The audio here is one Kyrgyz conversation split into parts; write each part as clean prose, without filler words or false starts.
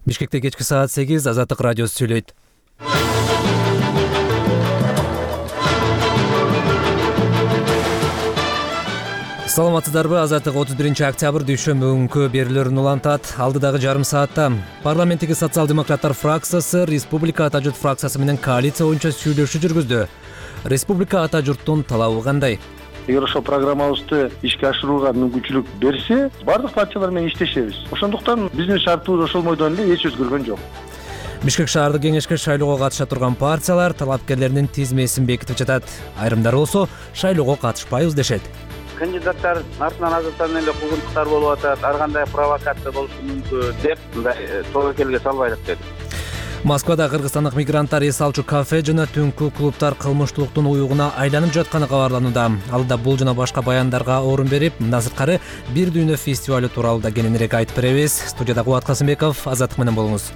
Бишкекте кечки саат 8 Азаттык радиосу сүйлөйт. Саламатсыздарбы? Азаттык 31-октябрь дүйшөмбү күнкү берүүлөрүн улантат. Алдыдагы жарым саатта парламенттеги социал-демократтар фракциясы Республика ата журт фракциясы менен коалиция боюнча сүйлөшүү жүргүздү. Республика ата журттун талабы кандай? Эгер ошол программабызды ишке ашырууга мүмкүнчүлүк берсе, бардык партиялар менен иштешебиз. Ошондуктан биздин шартыбыз ошол бойдон эле эч өзгөргөн жок. Бишкек шаардык кеңешке шайлоого катыша турган партиялар талапкерлеринин тизмесин бекитип жатат. Айрымдары болсо шайлоого катышпайбыз дешет. Кандидаттар артынан азаттан эле куугунтуктар болуп атат, ар кандай провокация болушу мүмкүн деп мындай тобокелге салбайлык деди. Москвада кыргызстандык мигранттар эс алчу кафе жана түнкү клубтар кылмыштуулуктун уюгуна айланып жатканы кабарланууда. Алда бул жана башка баяндарга орун берип, мындан сырткары бир дүйнө фестивалю тууралуу да кененирээк айтып беребиз. Студияда Кубат Касымбеков, Азаттык менен болуңуз.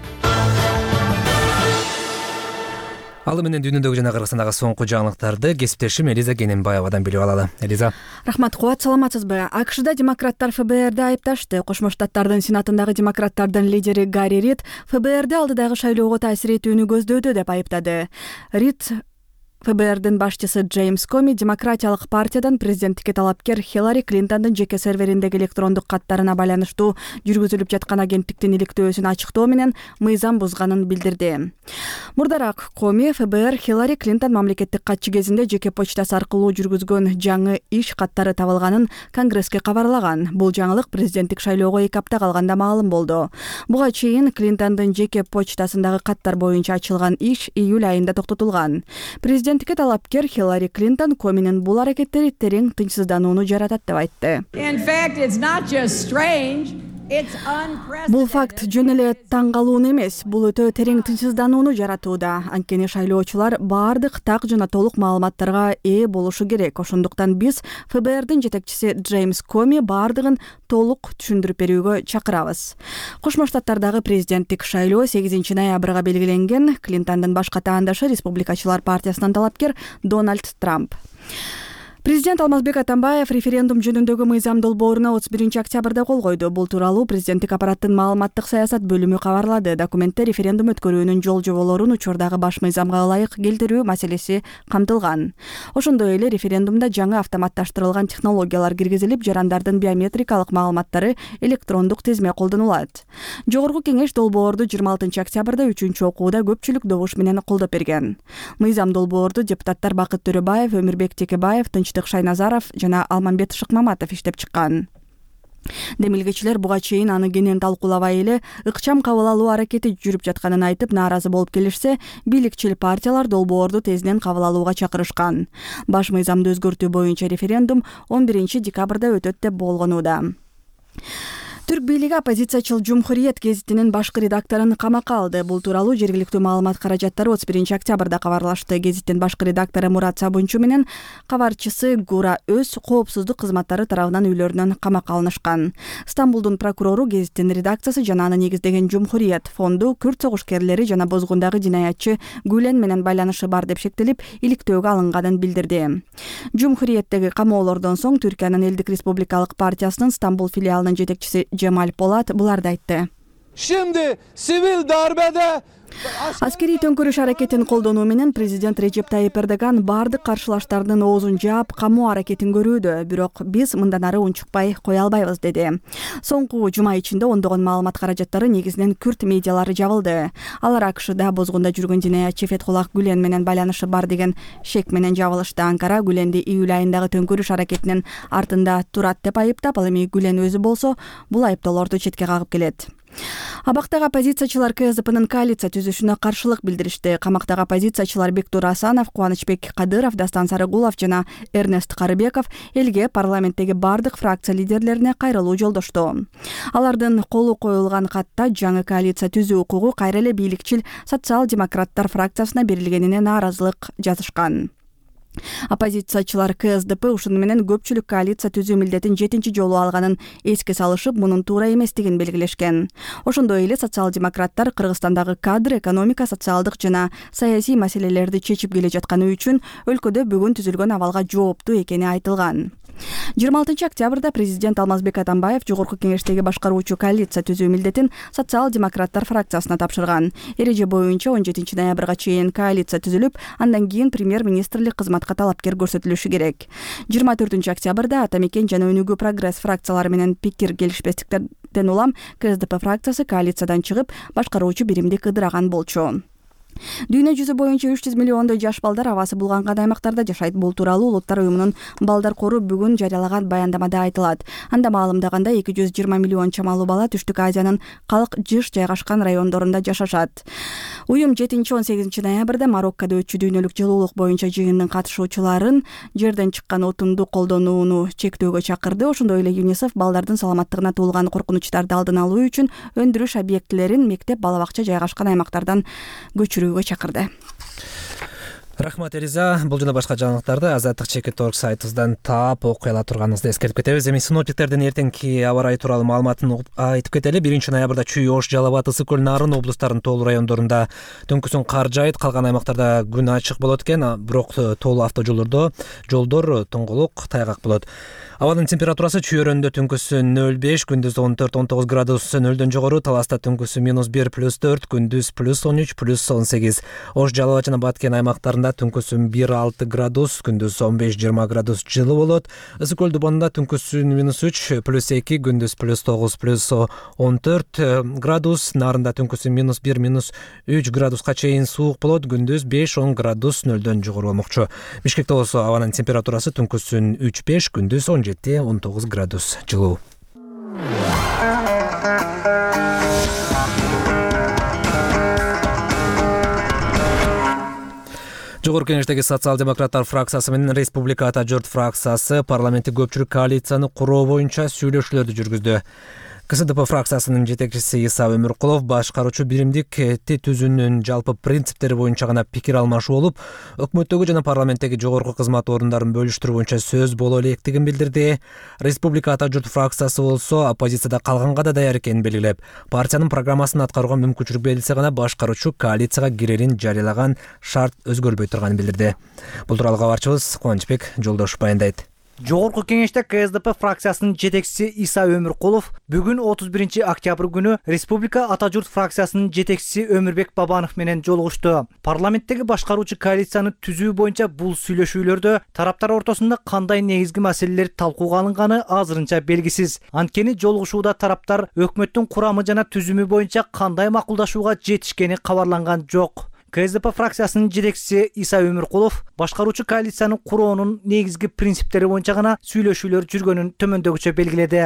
Алы менен дүйнөдөгү жана Кыргызстандагы соңку жаңылыктарды кесиптешим Элиза Кененбаевадан билип алалы. Элиза. Рахмат, Кубат, саламатсызбы? АКШда демократтар ФБРди айыпташты. Кошмо Штаттардын Сенатындагы демократтардын лидери Гарри Рид ФБРди алдыдагы шайлоого таасир этүүнү көздөдү деп айыптады. Рид ФБРдин башчысы Джеймс Коми демократиялык партиядан президенттикке талапкер Хиллари Клинтондун жеке сервериндеги электрондук каттарына байланыштуу жүргүзүлүп жаткан агенттиктин иликтөөсүн ачыктоо менен мыйзам бузганын билдирди. Мурдараак Коми ФБР Хиллари Клинтон мамлекеттик катчы кезинде жеке почтасы аркылуу жүргүзгөн жаңы иш каттары табылганын Конгресске кабарлаган. Бул жаңылык президенттик шайлоого 2 апта калганда маалым болду. Буга чейин Клинтондун жеке почтасындагы каттар боюнча ачылган иш июль айында токтотулган. Президенттикке талапкер Хиллари Клинтон Коминин бул аракеттери терең тынчсызданууну жаратат деп айтты. Бул факт жөн эле таң калууну эмес, бул өтө терең тынчсызданууну жаратууда. Анткени шайлоочулар баардык так жана толук маалыматтарга ээ болушу керек. Ошондуктан биз ФБРдин жетекчиси Джеймс Коми баардыгын толук түшүндүрүп берүүгө чакырабыз. Кошмо Штаттардагы президенттик шайлоо 8 ноябрга белгиленген. Клинтондун башка таандашы Республикачылар партиясынан талапкер Дональд Трамп. Президент Алмазбек Атамбаев референдум жөнүндөгү мыйзам долбооруна 31-октябрда кол койду. Бул тууралуу президенттик аппараттын маалыматтык саясат бөлүмү кабарлады. Документте референдум өткөрүүнүн жол жоболорун учурдагы баш мыйзамга ылайык келтирүү маселеси камтылган. Ошондой эле референдумда жаңы автоматташтырылган технологиялар киргизилип, жарандардын биометрикалык маалыматтары электрондук тизме колдонулат. Жогорку кеңеш долбоорду 26-октябрда 3-окууда көпчүлүк добуш менен колдоп берген. Мыйзам долбоорду депутаттар Бакыт Төрөбаев, Өмүрбек Текебаев, Шайназаров жана Алмамбет Шыкмаматов иштеп чыккан. Демилгечилер буга чейин аны кенен талкуулабай эле ыкчам кабыл алуу аракети жүрүп жатканын айтып, нааразы болуп келишсе, бийликчил партиялар долбоорду тезинен кабыл алууга чакырышкан. Баш мыйзамды өзгөртүү боюнча референдум 11 декабрда өтөт деп болгонууда. Түрк бийлиги оппозициячыл Жумхуриет гезитинин башкы редакторун камакка алды. Бул тууралуу жергиликтүү маалымат каражаттары 31-октябрда кабарлашты. Гезиттин башкы редактору Мурат Сабунчу менен кабарчысы Гура Өз коопсуздук кызматтары тарабынан үйлөрүнөн камакка алынышкан. Стамбулдун прокурору гезиттин редакциясы жана аны негиздеген Жумхуриет фонду күрд согушкерлери жана бозгундагы жинаятчы Гүлен менен байланышы бар деп шектелип, иликтөөгө алынганын билдирди. Жумхуриеттеги камоолордон соң Түркиянын Элдик Республикалык партиясынын Стамбул филиалынын жетекчиси Джемаль Полат буларды айтты. Şimdi sivil darbede Аскерий төңкөрүш аракетин колдонуу менен президент Режеп Тайип Эрдоган баардык каршылаштардын оозун жаап, камоо аракетин көрүүдө. Бирок биз мындан ары унчукпай кое албайбыз, деди. Соңку жума ичинде ондогон маалымат каражаттары негизинен күрд медиалары жабылды. Алар АКШда бозгунда жүргөн жинаятчы Фетхуллах Гүлен менен байланышы бар деген шек менен жабылышты. Анкара Гүленди июль айындагы төңкөрүш аракетинин артында турат деп айыптап, ал эми Гүлен өзү болсо бул айыптоолорду четке кагып келет. Абактагы оппозициячылар КСДПнын коалиция түзүшүнө каршылык билдиришти. Камактагы оппозициячылар Бектур Асанов, Кубанычбек Кадыров, Дастан Сарыгулов жана Эрнест Карыбеков элге парламенттеги бардык фракция лидерлерине кайрылуу жолдошту. Алардын колу коюлган катта жаңы коалиция түзүү укугу кайра эле бийликчил социал-демократтар фракциясына берилгенине нааразылык жазышкан. Оппозициячылар КСДП ушуну менен көпчүлүк коалиция түзүү милдетин 7 жолу алганын эске салышып, мунун туура эместигин белгилешкен. Ошондой эле социал-демократтар Кыргызстандагы кадр, экономика, социалдык жана саясий маселелерди чечип келе жатканы үчүн өлкөдө бүгүн түзүлгөн абалга жооптуу экени айтылган. 26 октябрда президент Алмазбек Атамбаев жогорку кеңештеги башкаруучу коалиция түзүү милдетин социал-демократтар фракциясына тапшырган. Эреже боюнча 17 ноябрга чейин коалиция түзүлүп, андан кийин премьер-министрлик кызматка талапкер көрсөтүлүшү керек. 24 октябрда Ата Мекен жана Өнүгүү Прогресс фракциялары менен пикир келишпестиктерден улам КСДП фракциясы коалициядан чыгып, башкаруучу биримди кыдыраган болчу. Дүйнө жүзү боюнча 300 миллиондой жаш балдар абасы булганган аймактарда жашайт. Бул тууралуу Улуттар уюмунун балдар кору бүгүн жарыялаган баяндамада айтылат. Анда маалымдаганда 220 миллион чамалуу бала Түштүк Азиянын калк жыш жайгашкан райондорунда жашашат. Уюм 7-18 ноябрда Мароккодо өтчү дүйнөлүк жылуулук боюнча жыйындын катышуучуларын жерден чыккан отунду колдонууну чектөөгө чакырды. Ошондой эле ЮНИСЕФ балдардын саламаттыгына туулган коркунучтарды алдын алуу үчүн өндүрүш объектилерин мектеп, бала бакча жайгашкан аймактардан көчүрүүгө чакырды. Рахмат Элиза. Бул жана башка жаңылыктарды Азаттык.org сайтыбыздан таап окуй ала турганыңызды эскертип кетебиз. Эми синоптиктердин эртеңки аба ырайы тууралуу маалыматын айтып кетели. 1 ноябрда Чүй, Ош, Жалал Абад, Ысык Көл, Нарын облустарынын тоолуу райондорунда түнкүсүн кар жаайт. Калган аймактарда күн ачык болот экен, бирок тоолуу автожолдор тоңголук, тайгак болот. Абанын температурасы Чүй өрөндө түнкүсүн 0,5, күндүз 14-19 градус нөлдөн жогору, Таласта түнкүсү -1 +4, күндүз +13 +18. Ош, Жалал Абад жана Баткен аймактарында түнкүсүн 1,6 градус, күндүз 15-20 градус жылы болот. Ысык Көл Дубанда түнкүсүн -3 +2, күндүз +9 +14 градус. Нарында түнкүсүн -1 -3 градуска чейин суук болот, күндүз 5-10 градус нөлдөн жогору болмокчу. Бишкекте болсо абанын температурасы түнкүсүн 3-5, күндүз 17-19 градус жылуу. Жогорку кеңештеги социал-демократтар фракциясы менен Республика Ата журт фракциясы парламенттик көпчүлүк коалицияны куруу боюнча сүйлөшүүлөрдү жүргүздү. КСДП фракциясынын жетекчиси Иса Өмүркулов башкаруучу биримдик түзүүнүн жалпы принциптери боюнча гана пикир алмашуу болуп, өкмөттөгү жана парламенттеги жогорку кызмат орундарын бөлүштүрүү боюнча сөз боло электигин билдирди. Республика Ата журт фракциясы болсо оппозицияда калганга да даяр экенин белгилеп, партиянын программасын аткарууга мүмкүнчүлүк берилсе гана башкаруучу коалицияга кирерин жарыялаган шарт өзгөрбөй турганын билдирди. Бул тууралуу кабарчыбыз Кубанычбек Жолдошов баяндайт. Жогорку кеңеште КСДП фракциясынын жетекчиси Иса Өмүркулов бүгүн 31 октябрь күнү Республика Ата журт фракциясынын жетекчиси Өмүрбек Бабанов менен жолугушту. Парламенттеги башкаруучу коалицияны түзүү боюнча бул сүйлөшүүлөрдө тараптар ортосунда кандай негизги маселелер талкууга алынганы азырынча белгисиз. Анткени жолугушууда тараптар өкмөттүн курамы жана түзүмү боюнча кандай макулдашууга жетишкени кабарланган жок. КСДП фракциясынын жетекчиси Иса Өмүркулов башкаруучу коалицияны куроонун негизги принциптери боюнча гана сүйлөшүүлөр жүргөнүн төмөндөгүчө белгиледи.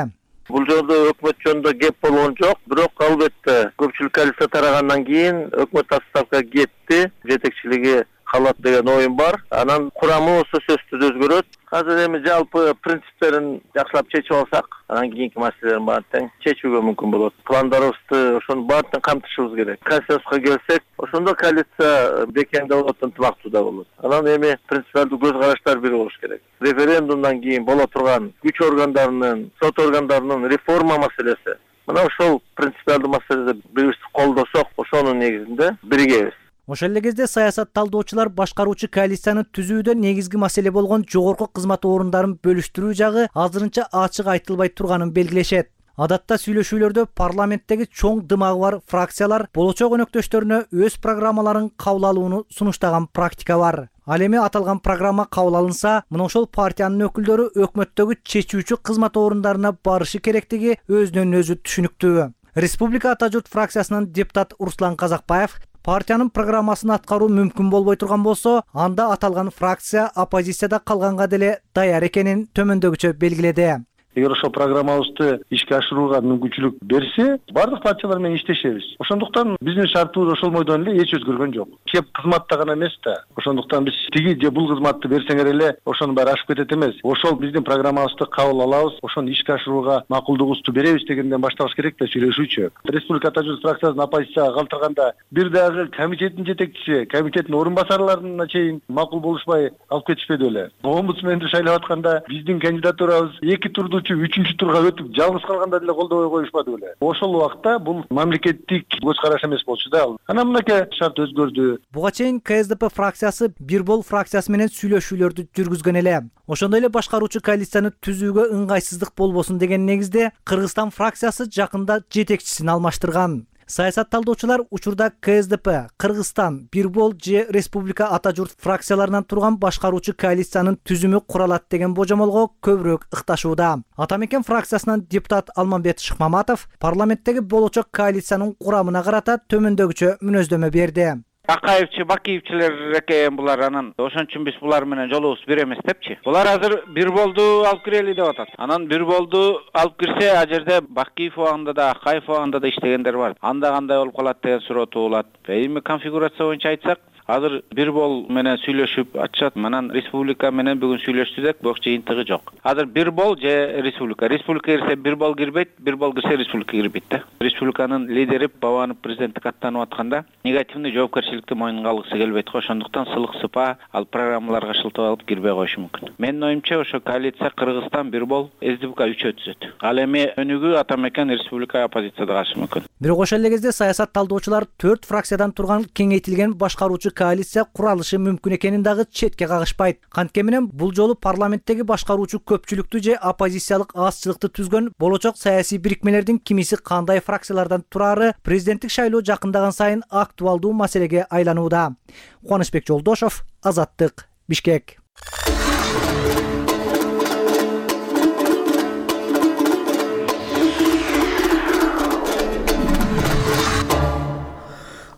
Бул жолдо өкмөт жөнүндө кеп болгон жок, бирок албетте көпчүлүк коалиция тарагандан кийин өкмөт отставкага кетти, жетекчилиги калат деген оюм бар. Анан курамы болсо сөзсүз өзгөрөт. Азыр эми жалпы принциптерин жакшылап чечип алсак, анан кийинки маселелерин баарын тең чечүүгө мүмкүн болот. Пландарыбызды ошонун баарын камтышыбыз керек. Консенсуска келсек, ошондо коалиция бекемде болот, ынтымактуу болот. Анан эми принципиалдуу көз караштар бир болуш керек. Референдумдан кийин боло турган күч органдарынын, сот органдарынын реформа маселеси. Мына ошол принципиалдуу маселеде бирибизди колдосок, ошонун негизинде биригебиз. Ошол эле кезде саясат талдоочулар башкаруучу коалицияны түзүүдө негизги маселе болгон жогорку кызмат орундарын бөлүштүрүү жагы азырынча ачык айтылбай турганын белгилешет. Адатта сүйлөшүүлөрдө парламенттеги чоң дымагы бар фракциялар болочок өнөктөштөрүнө өз программаларын кабыл алууну сунуштаган практика бар. Ал эми аталган программа кабыл алынса, мына ошол партиянын өкүлдөрү өкмөттөгү чечүүчү кызмат орундарына барышы керектиги өзүнөн өзү түшүнүктүү. Республика Ата журт фракциясынын депутат Руслан Казакбаев партиянын программасын аткаруу мүмкүн болбой турган болсо, анда аталган фракция оппозицияда калганга деле даяр экенин төмөндөгүчө белгиледи. Эгер ошол программабызды ишке ашырууга мүмкүнчүлүк берсе, бардык партиялар менен иштешебиз. Ошондуктан биздин шартыбыз ошол бойдон эле, эч өзгөргөн жок. Кеп кызматта гана эмес да. Ошондуктан биз тиги же бул кызматты берсеңер эле ошонун баары ашып кетет эмес. Ошол биздин программабызды кабыл алабыз, ошону ишке ашырууга макулдугубузду беребиз дегенден баштабыз керек да сүйлөшүүчү. Республика Ата журт фракциясын оппозицияга калтырганда бир дагы комитеттин жетекчиси, комитеттин орун басарларына чейин макул болушпай алып кетишпеди беле. Омбудсменди шайлап атканда биздин кандидатурабыз 2 турдуу болчу 3-турга өтүп жалгыз калганда деле колдобой коюшпады беле. Ошол убакта бул мамлекеттик көз караш эмес болчу да. Анан мынакей шарт өзгөрдү. Буга чейин КСДП фракциясы Бир бол фракциясы менен сүйлөшүүлөрдү жүргүзгөн эле. Ошондой эле башкаруучу коалицияны түзүүгө ыңгайсыздык болбосун деген негизде Кыргызстан фракциясы жакында жетекчисин алмаштырган. Саясат талдоочулар учурда КСДП, Кыргызстан, Бир бол же Республика Ата журт фракцияларынан турган башкаруучу коалициянын түзүмү куралат деген божомолго көбүрөөк ыкташууда. Ата мекен фракциясынан депутат Алмамбет Шыкмаматов парламенттеги болочок коалициянын курамына карата төмөндөгүчө мүнөздөмө берди. Акаевчи, Бакиевчилер экен булар, анан ошон үчүн биз булар менен жолубуз бир эмес депчи. Булар азыр Бир болду алып кирели деп атат. Анан Бир болду алып кирсе, а жерде Бакиев убагында да, Акаев убагында да иштегендер бар. Анда кандай болуп калат деген суроо туулат. Эми конфигурация боюнча айтсак, азыр Бир бол менен сүйлөшүп атышат. Анан республика менен бүгүн сүйлөштүк, бирок жыйынтыгы жок. Азыр Бир бол же республика. Республика кирсе Бир бол кирбейт, Бир бол кирсе республика кирбейт да. Республиканын лидери Бабанов президенттик аттанып атканда негативный жоопкерчиликти мойнунга алгысы келбейт го. Ошондуктан сылык сыпа ал программаларга шылтап алып кирбей коюшу мүмкүн. Менин оюмча ошо коалиция Кыргызстан, Бир бол, СДПК 3 өтүзөт. Ал эми өнүгүү Ата мекен республика оппозицияда калышы мүмкүн. Бирок ошол эле кезде саясат талдоочулар 4 фракциядан турган кеңейтилген башкаруучу коалиция куралышы мүмкүн экенин дагы четке кагышпайт. Кантке менен бул жолу парламенттеги башкаруучу көпчүлүктү же оппозициялык азчылыкты түзгөн болочок саясий бирикмелердин кимиси кандай фракциялардан турары президенттик шайлоо жакындаган сайын актуалдуу маселеге айланууда. Кубанычбек Жолдошов, Азаттык, Бишкек.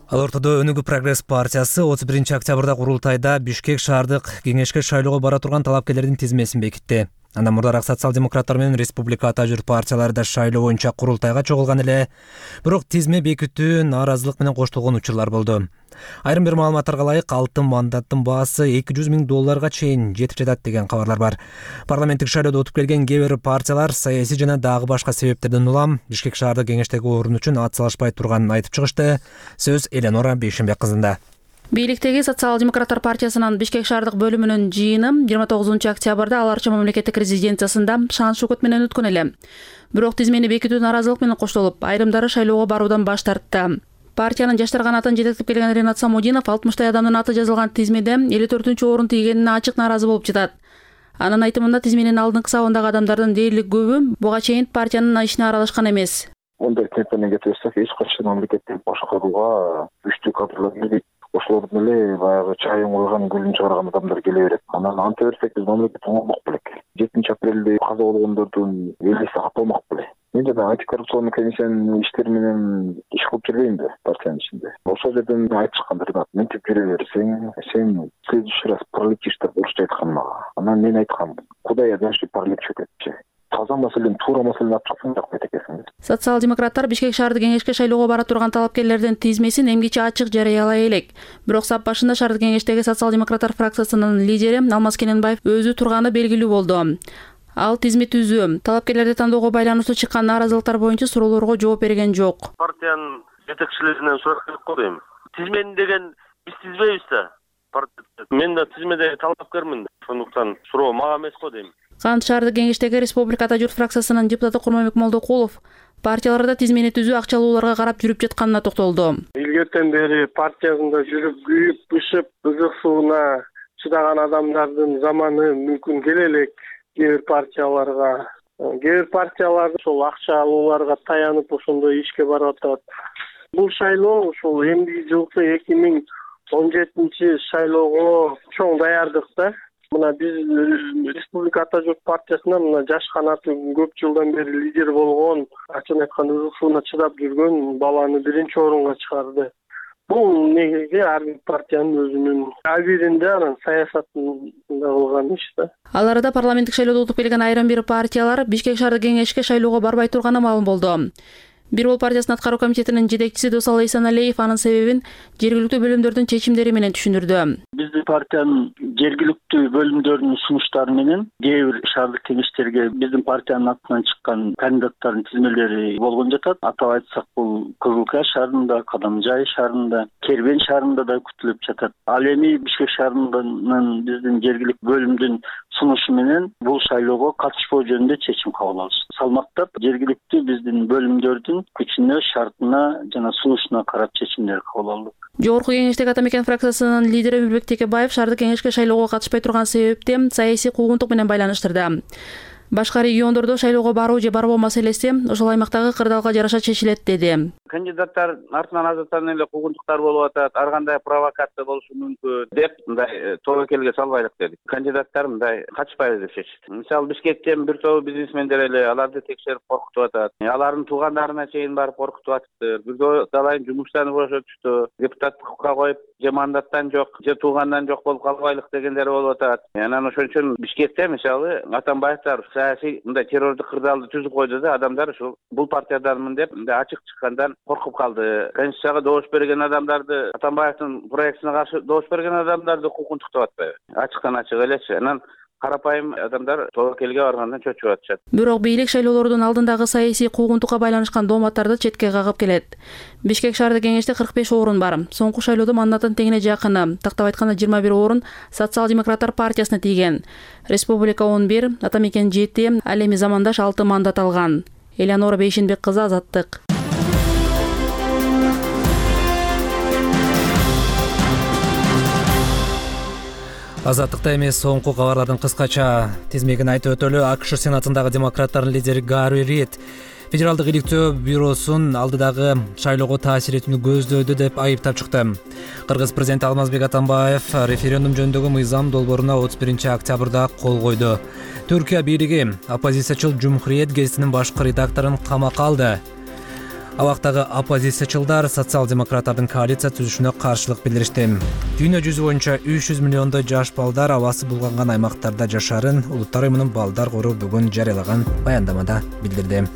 Ал ортодо Өнүгүү прогресс партиясы 31 октябрда курултайда Бишкек шаардык кеңешке шайлоого бара турган талапкерлердин тизмесин бекитти. Андан мурдараак социал-демократтар менен Республика Ата журт партиялары да шайлоо боюнча курултайга чогулган эле, бирок тизме бекитүү нааразылык менен коштолгон учурлар болду. Айрым бир маалыматтарга ылайык, алтын мандаттын баасы $200,000 чейин жетип жатат деген кабарлар бар. Парламенттик шайлоодо утуп келген кээ бир партиялар саясий жана дагы башка себептерден улам Бишкек шаардык кеңештеги орун үчүн ат салышпай турганын айтып чыгышты. Сөз Эленора Бейшенбек кызында. Бийликтеги социал-демократтар партиясынын Бишкек шаардык бөлүмүнүн жыйыны 29 октябрда аларча мамлекеттик резиденциясында шан шукут менен өткөн эле. Бирок тизмени бекитүү нааразылык менен коштолуп, айрымдары шайлоого баруудан баш тартты. Партиянын жаштар канатын жетектеп келген Ренат Самудинов 60 адамдын аты жазылган тизмеде 54-орун тийгенине ачык нааразы болуп жатат. Анын айтымында тизменин алдыңкы сабындагы адамдардын дээрлик көбү буга чейин партиянын ишине аралашкан эмес. Ондай темпене кетирсек, эч качан мамлекетти башкарууга күчтүү кадрлар келбейт. Ошолордун эле баягы чайын койгон, гүлүн чыгарган адамдар келе берет. Анан анте берсек, биз мамлекетти оңолмок белек. 7 апрелде каза болгондордун элеси катылмак белек. Мен жана антикоррупциялык комиссиянын иштери менен иш кылып жүрбөйм да партиянын ичинде. Ошол жерден айтышкандар, мынтип жүрө берсең, сен следующий раз паралич деп орусча айткан мага. Анан мен айткам, кудай дальше паралич өтөтчү. Таза маселени, туура маселени ачсаң жакпайт экенсиң. Социал-демократтар Бишкек шаардык кеңешке шайлоого бара турган талапкерлердин тизмесин эмгиче ачык жарыялай элек. Бирок сап башында шаардык кеңештеги социал-демократтар фракциясынын лидери Алмаз Кененбаев өзү турганы белгилүү болду. Ал тизме түзүү, талапкерлерди тандоого байланыштуу чыккан нааразылыктар боюнча суроолорго жооп берген жок. Партиянын жетекчилеринен сурап келип коем. Тизмени деген биз тизбейбиз да. Мен да тизмеде талапкермин. Ошондуктан суроо мага эмес го дейм. Кант шаардык кеңештеги Республика Ата журт фракциясынын депутаты Курманбек Молдокулов партияларда тизмени түзүү акчалууларга карап жүрүп жатканына токтолду. Илгертен бери партиясында жүрүп, күйүп, бышып, ызык сууна чыдаган адамдардын заманы мүмкүн келе элек. Кээ бир партиялар ошол акча алууларга таянып ошондой ишке барып атат. Бул шайлоо ошол эмдиги жылкы 2017 шайлоого чоң даярдык да. Мына биз Республика Ата журт партиясына мына жаш канаты көп жылдан бери лидер болгон, ачык айтканда ызык сууна чыдап жүргөн баланы 1-орунга чыгарды. Бул негизги ар бир партиянын өзүнүн абийиринде анан саясатында кылган иш да. Ал арада парламенттик шайлоодо утуп келген айрым бир партиялар Бишкек шаардык кеңешке шайлоого барбай турганы маалым болду. Бир бол партиясынын аткаруу комитетинин жетекчиси Досал Эйсаналиев анын себебин жергиликтүү бөлүмдөрдүн чечимдери менен түшүндүрдү. Биз биздин партиянын жергиликтүү бөлүмдөрүнүн сунуштары менен кээ бир шаардык кеңештерге биздин партиянын атынан чыккан кандидаттардын тизмелери болгон жатат. Атап айтсак, бул Кызылкая шаарында, Кадамжай шаарында, Кербен шаарында да күтүлүп жатат. Ал эми Бишкек шаарынын биздин жергиликтүү бөлүмдүн сунушу менен бул шайлоого катышпоо жөнүндө чечим кабыл алдык. Салмактап жергиликтүү биздин бөлүмдөрдүн күчүнө, шартына жана сунушуна карап чечимдер кабыл алдык. Жогорку кеңештеги Ата Мекен фракциясынын лидери Үлбек Текебаев шаардык кеңешке шайлоого катышпай турган себепти саясий куугунтук менен байланыштырды. Башка региондордо шайлоого баруу же барбоо маселеси ошол аймактагы кырдаалга жараша чечилет деди. Кандидаттар артынан азаттан эле куугунтуктар болуп атат, ар кандай провокация болушу мүмкүн деп мындай тобокелге салбайлык дедик. Кандидаттар мындай качпайлы деп чечти. Мисалы Бишкектен бир топ бизнесмендер эле аларды текшерип коркутуп атат. Алардын туугандарына чейин барып коркутуп атыптыр. Бирдөө талайын жумуштан бошотушту. Депутаттыкка коюп же мандаттан жок, же туугандан жок болуп калбайлык дегендер болуп атат. Анан ошон үчүн Бишкекте мисалы Атамбаевдер саясий мындай террордук кырдаалды түзүп койду да, адамдар ушул бул партияданмын деп мындай ачык чыккандан коркуп калды. Конституцияга добуш берген адамдарды, Атамбаевдин проектине каршы добуш берген адамдарды куугунтуктап атпайбы? Ачыктан ачык элечи. Анан карапайым адамдар тобокелге баргандан чөчүп атышат. Бирок бийлик шайлоолордун алдындагы саясий куугунтукка байланышкан дооматтарды четке кагып келет. Бишкек шаардык кеңеште 45 орун бар. Соңку шайлоодо мандатын теңине жакыны, тактап айтканда 21 орун Социал-демократтар партиясына тийген. Республика 11, Ата Мекен 7, ал эми Замандаш 6 мандат алган. Элеонора Бейшенбек кызы, Азаттык. Азаттыкта эмес, соңку кабарлардын кыскача тизмегин айтып өтөлү. АКШ Сенатындагы демократтардын лидери Гарри Рид Федералдык иликтөө бюросун алдыдагы шайлоого таасир этүүнү көздөөдү деп айыптап чыкты. Кыргыз президенти Алмазбек Атамбаев референдум жөнүндөгү мыйзам долбооруна 31 октябрда кол койду. Түркия бийлиги оппозициячыл Жумхуриет гезитинин башкы редакторун камакка алды. Абактагы оппозициячылдар социал-демократтардын коалиция түзүшүнө каршылык билдиришти. Дүйнө жүзү боюнча 300 миллиондой жаш балдар абасы булганган аймактарда жашарын Улуттар уюмунун балдар кору бүгүн жарыялаган баяндамада билдирди.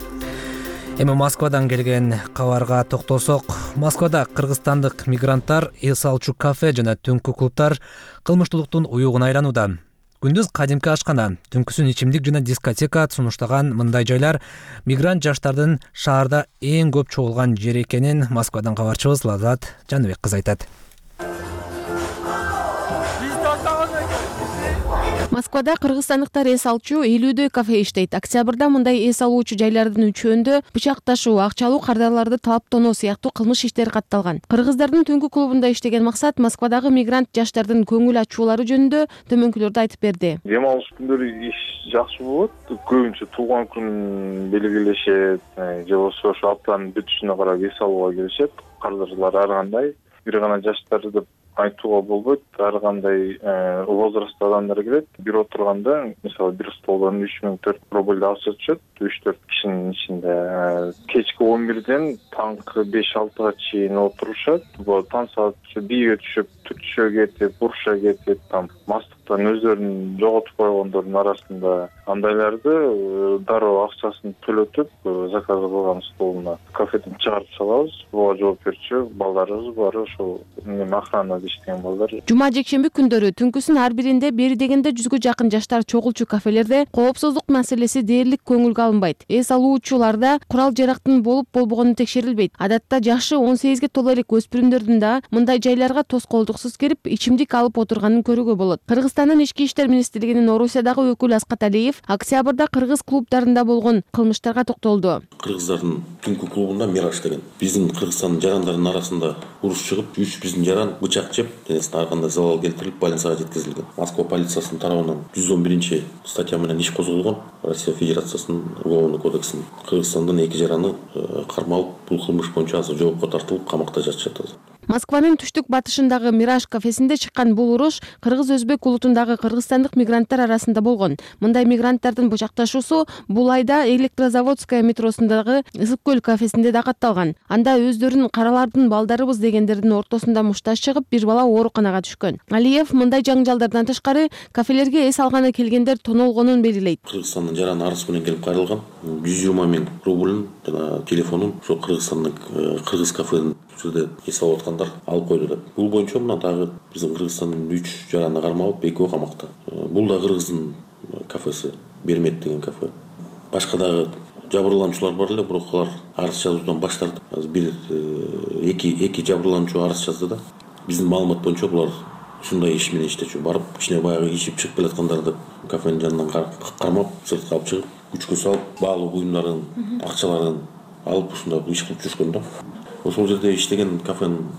Эми Москвадан келген кабарга токтолсок, Москвада кыргызстандык мигранттар эс алчу кафе жана түнкү клубтар кылмыштуулуктун уюгуна айланууда. Күндүз кадимки ашкана, түнкүсүн ичимдик жана дискотека сунуштаган мындай жайлар мигрант жаштардын шаарда эң көп чогулган жери экенин Москвадан кабарчыбыз Лазат Жаныбек кызы айтат. Москвада кыргызстандыктар эс алчу 50дөй кафе иштейт. Октябрда мындай эс алуучу жайлардын үчөөндө бычак ташуу, акчалуу кардарларды талаптонуу сыяктуу кылмыш иштери катталган. Кыргыздардын түнкү клубунда иштеген максат Москвадагы мигрант жаштардын көңүл ачуулары жөнүндө төмөнкүлөрдү айтып берди. Дем алыш күндөрү иш жакшы болот. Көбүнчө туулган күн белгилешет, же болбосо ошо аптанын бүтүшүнө карап эс алууга келишет. Кардарлар ар кандай, бир гана жаштар деп айтууга болбойт. Ар кандай возраст адамдар келет. Бир отурганда, мисалы, бир столдон 3000-4 рубль акча түшөт. 3-4 кишинин ичинде. Кечки 11ден таңкы 5-6га чейин отурушат. Бул таң саат бийге түшүп, түтүшө кетип, буруша кетип, там мастыктан өздөрүн жоготуп койгондордун арасында андайларды дароо акчасын төлөтүп, заказ кылган столуна кафеден чыгарып салабыз. Буга жооп берчү балдарыбыз бар, ошол охранада иштеген балдар. Жума жекшемби күндөрү түнкүсүн ар биринде бери дегенде 100гө жакын жаштар чогулчу кафелерде коопсуздук маселеси дээрлик көңүлгө алынбайт. Эс алуучуларда курал жарактын болуп болбогону текшерилбейт. Адатта жашы 18ге толо элек өспүрүмдөрдүн да мындай жайларга тоскоолдуксуз кирип, ичимдик алып отурганын көрүүгө болот. Кыргызстандын ички иштер министрлигинин Орусиядагы өкүлү Аскат Алиев октябрда кыргыз клубдарында болгон кылмыштарга токтолду. Кыргыздардын түнкү клубунда Мираж деген биздин Кыргызстандын жарандарынын арасында уруш чыгып, 3 биздин жаран бычак жеп, денесине ар кандай залал келтирилип, больницага жеткизилген. Москва полициясынын тарабынан 111 статья менен иш козголгон. Россия Федерациясынын Уголовный кодексинин Кыргызстандын 2 жараны кармалып, бул кылмыш боюнча азыр жоопко тартылып, камакта жатышат. Москванын түштүк батышындагы Мираж кафесинде чыккан бул уруш кыргыз-өзбек улуттук портундагы кыргызстандык мигранттар арасында болгон. Мындай мигранттардын бучакташуусу бул айда Электрозаводская метросундагы Ысык көл кафесинде да катталган. Анда өздөрүн каралардын балдарыбыз дегендердин ортосунда мушташ чыгып, бир бала ооруканага түшкөн. Алиев мындай жаңжалдардан тышкары кафелерге эс алганы келгендер тонолгонун белгилейт. Кыргызстандын жаран арыз менен келип кайрылган 120 миң рубльн жана телефонун ошо Кыргызстандын кыргыз кафенин жерде эс алып аткандар алып койду деп. Бул боюнча мына дагы биздин Кыргызстандын 3 жараны кармалып, 2 камакта. Бул да кыргыздын кафеси, Бермет деген кафе. Башка дагы жабырлануучулар бар эле, бирок алар арыз жазуудан баш тартып. Азыр бир эки жабырлануучу арыз жазды да. Биздин маалымат боюнча булар ушундай иш менен иштечү. Барып, ичине баягы ичип чыгып келаткандар деп кафенин жанынан кармап, сыртка алып чыгып, күчкө салып, баалуу буюмдарын, акчаларын алып ушундай иш кылып жүрүшкөн да. Ошол жерде иштеген кафенин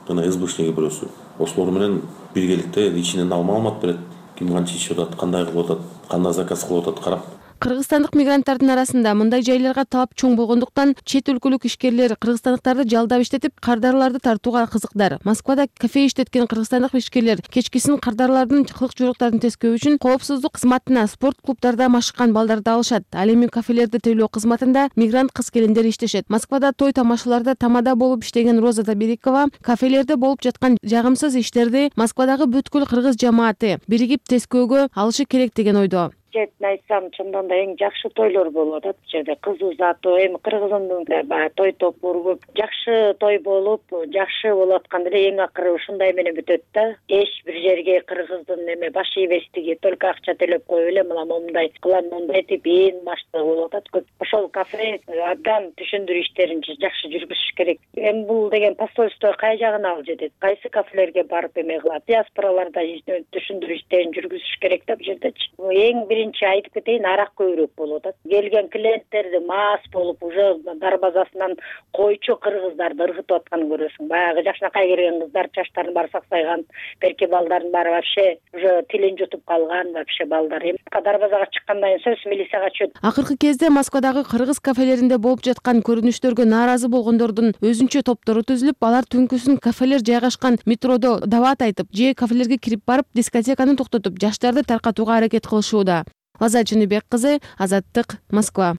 жана СБшниги бирөөсү. Ошолор менен биргеликте ичинен ал маалымат берет. Ким канча ишип атат, кандай кылып атат, кандай заказ кылып атат карап. Кыргызстандык мигранттардын арасында мындай жайларга талап чоң болгондуктан чет өлкөлүк ишкерлер кыргызстандыктарды жалдап иштетип, кардарларды тартууга кызыкдар. Москвада кафе иштеткен кыргызстандык ишкерлер кечкисин кардарлардын кылык-жоруктарын тескөө үчүн коопсуздук кызматына спорт клубдарда машыккан балдарды алышат. Ал эми кафелерди тейлөө кызматында мигрант кыз-келиндер иштешет. Москвада той тамашаларда тамада болуп иштеген Роза Таберикова кафелерде болуп жаткан жагымсыз иштерди Москвадагы бүткүл кыргыз жамааты биригип тескөөгө алышы керек деген ойдо. Четин айтсам, чындан да эң жакшы тойлор болуп атат. Бул жерде кыз узатуу, эми кыргызымдын баягы той топуру көп. Жакшы той болуп, жакшы болуп атканда эле эң акыры ушундай менен бүтөт да. Эч бир жерге кыргыздын эме баш ийбестиги, только акча төлөп коюп эле мына момундай кылам, мондай деп ээн баштыгы болуп атат көп. Ошол кафе абдан түшүндүрүү иштерин жакшы жүргүзүш керек. Эми бул деген посольство кай жагына алып жетет? Кайсы кафелерге барып эме кылат? Диаспораларда түшүндүрүү иштерин жүргүзүш керек да бул жердечи. Эң биринчи айтып кетейин, арак көбүрөөк болуп атат. Келген клиенттерди мас болуп, уже дарбазасынан койчу кыргыздарды ыргытып атканын көрөсүң. Баягы жакшынакай келген кыздар чачтарын баары саксайган, берки балдардын баары вообще уже тилин жутуп калган, вообще балдар. Эми дарбазага чыккандан кийин сөз милицияга чөт. Акыркы кезде Москвадагы кыргыз кафелеринде болуп жаткан көрүнүштөргө нааразы болгондордун өзүнчө топтору түзүлүп, алар түнкүсүн кафелер жайгашкан метродо дават айтып, же кафелерге кирип барып, дискотеканы токтотуп, жаштарды таркатууга аракет кылышууда. Азат Жыныбек кызы, Азаттык, Москва.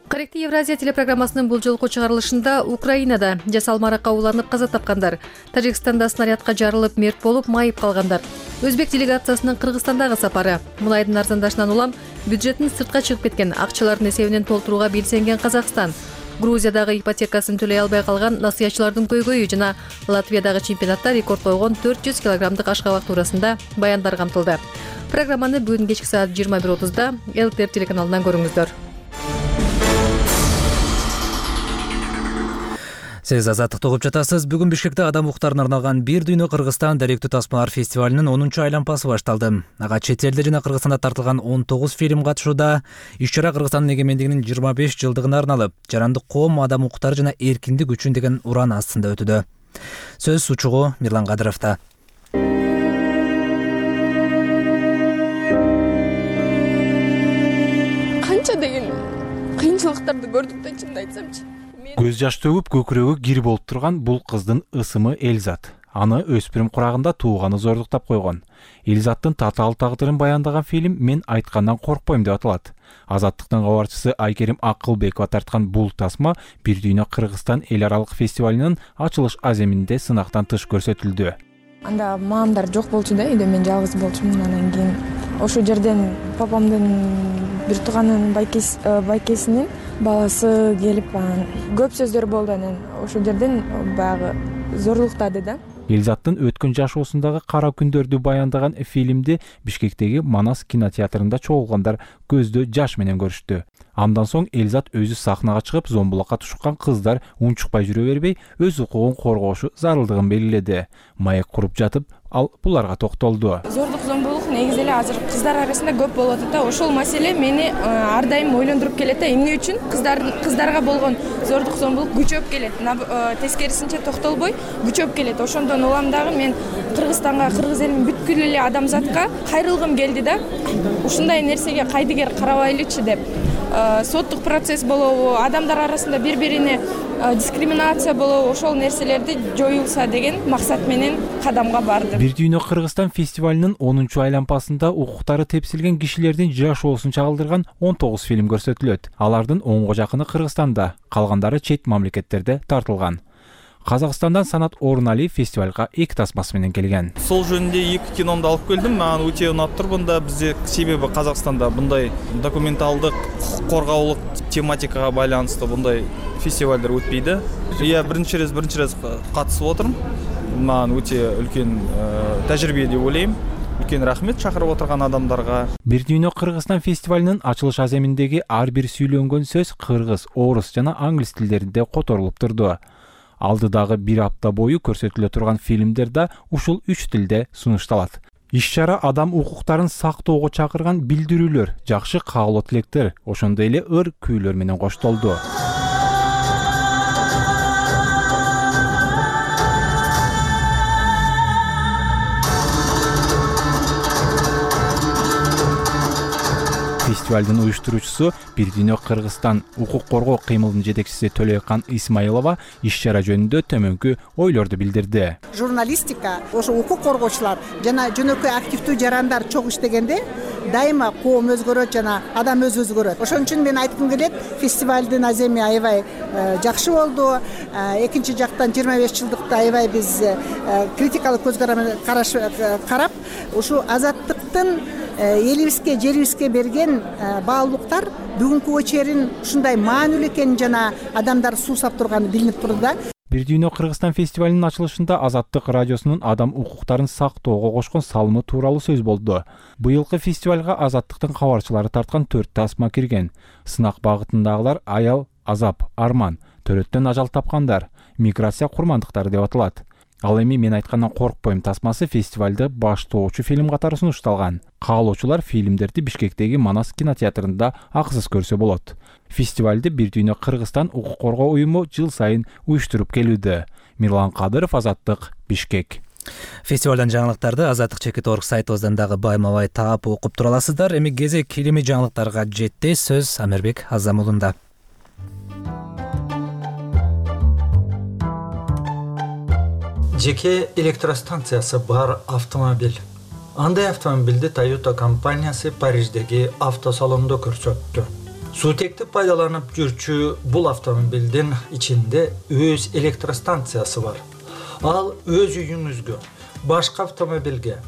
Корректив Евразия телепрограммасынын бул жолку чыгарылышында Украинада жасал маракка уланып каза тапкандар, Тажикстанда снарядка жарылып мерт болуп майып калгандар, Өзбек делегациясынын Кыргызстандагы сапары, мунайдын арзандашынан улам бюджеттин сыртка чыгып кеткен акчалардын эсебинен толтурууга белсенген Казакстан, Грузиядагы ипотекасын төлөй албай калган насыятчылардын көйгөйү жана Латвиядагы чемпионатта рекорд койгон 400 килограммдык ашкабак туурасында баяндар камтылды. Программаны бүгүн кечки саат 21:30 ЛТР телеканалынан көрүңүздөр. Сиз Азаттыкты угуп жатасыз. Бүгүн Бишкекте адам укуктарына арналган Бир дүйнө Кыргызстан даректүү тасмалар фестивалынын 10-чу айланпасы башталды. Ага чет элде жана Кыргызстанда тартылган 19 фильм катышууда. Иш-чара Кыргызстандын эгемендигинин 25 жылдыгына арналып, жарандык коом, адам укуктары жана эркиндик үчүн деген уран астында өтүүдө. Сөз сучугу Мирлан Кадыровдо. Канча деген кыйынчылыктарды көрдүк да, чынын айтсамчы. Көз жаш төгүп көкүрөгү кир болуп турган бул кыздын ысымы Элизат. Аны өспүрүм курагында тууганы зордуктап койгон. Элизаттын татаал тагдырын баяндаган фильм «Мен айткандан коркпойм» деп аталат. Азаттыктын кабарчысы Айкерим Акылбекова тарткан бул тасма Бир дүйнө Кыргызстан эл аралык фестивалынын ачылыш аземинде сынактан тыш көрсөтүлдү. Анда маамдар жок болчу да, үйдө мен жалгыз болчумун. Анан кийин ошол жерден папамдын бир тууганын байкесинин баласы келип анан көп сөздөр болду. Анан ошол жерден баягы зорлуктады да. Элизаттын өткөн жашоосундагы кара күндөрдү баяндаган фильмди Бишкектеги Манас кинотеатрында чогулгандар көздө жаш менен көрүштү. Андан соң Элизат өзү сахнага чыгып, зомбулакка тушкан кыздар унчукпай жүрө бербей, өз укугун коргошу зарылдыгын белгиледи. Маек куруп жатып, ал буларга токтолду. Зордук, зомбулук негизи эле азыр кыздар арасында көп болуп атат да. Ошол маселе мени ар дайым ойлондуруп келет да. Эмне үчүн кыздарга болгон зордук, зомбулук күчөп келет. Тескерисинче токтолбой күчөп келет. Ошондон улам дагы мен Кыргызстанга, кыргыз элинин бүт бүткүл эле адамзатка кайрылгым келди да. Ушундай нерсеге кайдыгер карабайлычы деп. Соттук процесс болобу, адамдар арасында бири-бирине дискриминация болобу, ошол нерселерди жоюлса деген максат менен кадамга бардым. Бир дүйнө Кыргызстан фестивалынын 10-чу айлампасында укуктары тепсилген кишилердин жашоосун чагылдырган 19 фильм көрсөтүлөт. Алардын 10го жакыны Кыргызстанда, калгандары чет мамлекеттерде тартылган. Казакстандан Санат Оруналиев фестивалга 2 тасмасы менен келген. Сол жөнүндө 2 киномду алып келдим. Мага өтө унап тур мында бизде, себеби Казакстанда мындай документалдык, укук коргоолук тематикага байланыштуу мындай фестивалдар өтпөйдү. Биринчи рет катышып отурум. Мага өтө үлкен тажрыйба деп ойлойм. Үлкен рахмет чакырып отурган адамдарга. Бир дүйнө Кыргызстан фестивалынын ачылыш аземиндеги ар бир сүйлөнгөн сөз кыргыз, орус жана англис тилдеринде которулуп турду. Алдыдагы 1 апта бою көрсөтүлө турган фильмдер да ушул 3 тилде сунушталат. Иш-чара адам укуктарын сактоого чакырган билдирүүлөр, жакшы каалоо тилектер, ошондой эле ыр күүлөр менен коштолду. Фестивалдын уюштуруучусу Бир дүйнө Кыргызстан укук коргоо кыймылынын жетекчиси Төлөйкан Исмаилова иш-чара жөнүндө төмөнкү ойлорду билдирди. Журналистика, ошо укук коргоочулар жана жөнөкөй активдүү жарандар чогуу иштегенде дайыма коом өзгөрөт жана адам өзгөрөт. Ошон үчүн мен айткым келет, фестивалдын аземи аябай жакшы болду. Экинчи жактан 25 жылдыкта аябай биз критикалык көз карап, ушу азаттыктын элибизге, жерибизге берген баалуулуктар бүгүнкү очерин ушундай маанилүү экенин жана адамдар суусап турганы билинип турду да. Бир дүйнө Кыргызстан фестивалынын ачылышында Азаттык радиосунун адам укуктарын сактоого кошкон салымы тууралуу сөз болду. Быйылкы фестивалга Азаттыктын кабарчылары тарткан 4 тасма кирген. Сынак багытындагылар аял, азап, арман, төрөттөн ажал тапкандар, миграция курмандыктары деп аталат. Ал эми мен айткандан коркпойм тасмасы фестивалды баштоочу фильм катары сунушталган. Каалоочулар фильмдерди Бишкектеги Манас кинотеатрында акысыз көрсө болот. Фестивалды Бир дүйнө Кыргызстан укук коргоо уюму жыл сайын уюштуруп келүүдө. Мирлан Кадыров, Азаттык, Бишкек. Фестивалдан жаңылыктарды azattik.org сайтыбыздан дагы байма-бай таап окуп тура аласыздар. Эми кезек килими жаңылыктарга жетти. Сөз Амербек Азамулунда. Жеке электростанциясы бар автомобиль. Андай автомобилди Toyota компаниясы Париждеги автосалондо көрсөттү. Суутекти пайдаланып жүрчү бул автомобилдин ичинде өз электростанциясы бар. Ал өз үйүңүзгө, башка автомобилге,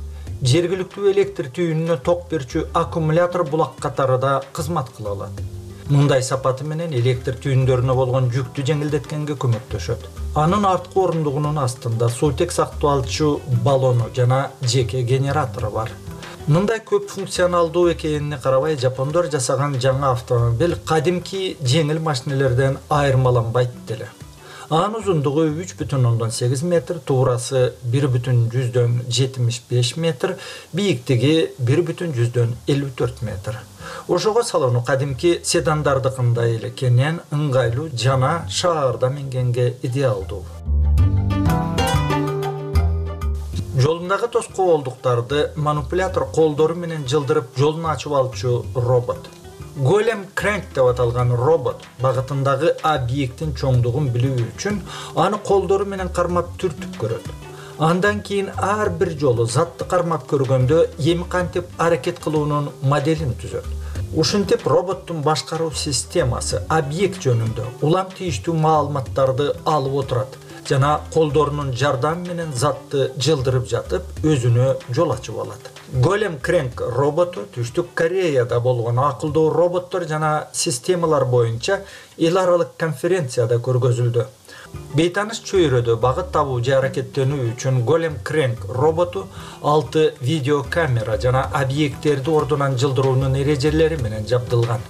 жергиликтүү электр түйүнүнө ток берчү аккумулятор булак катары да кызмат кыла алат. Мындай сапаты менен электр түйүндөрүнө болгон жүктү жеңилдеткенге көмөктөшөт. Анын арткы орундугунун астында суутек сакталчу баллону жана жеке генератору бар. Мындай көп функционалдуу экенине карабай, жапондор жасаган жаңы автомобиль кадимки жеңил машинелерден айырмаланбайт деле. Анын узундугу 3,8 метр, туурасы 1,75 метр, бийиктиги 1,54 метр. Ошого салону кадимки седандардыкындай эле кенен, ыңгайлуу жана шаарда мингенге идеалдуу. Жолундагы тоскоолдуктарды манипулятор колдору менен жылдырып жолун ачып алчу робот. Голем Крэнк деп аталган робот багытындагы объекттин чоңдугун билүү үчүн аны колдору менен кармап түртүп көрөт. Андан кийин ар бир жолу затты кармап көргөндө эми кантип аракет кылуунун моделин түзөт. Ушинтип роботтун башкаруу системасы объект жөнүндө улам тийиштүү маалыматтарды алып отурат жана колдорунун жардамы менен затты жылдырып жатып өзүнө жол ачып алат. Голем Крэнк роботу Түштүк Кореяда болгон акылдуу роботтор жана системалар боюнча эл аралык конференцияда көргөзүлдү. Бейтаныш чөйрөдө багыт табуу же аракеттенүү үчүн Голем Крэнк роботу 6 видеокамера жана объекттерди ордунан жылдыруунун эрежелери менен жабдылган.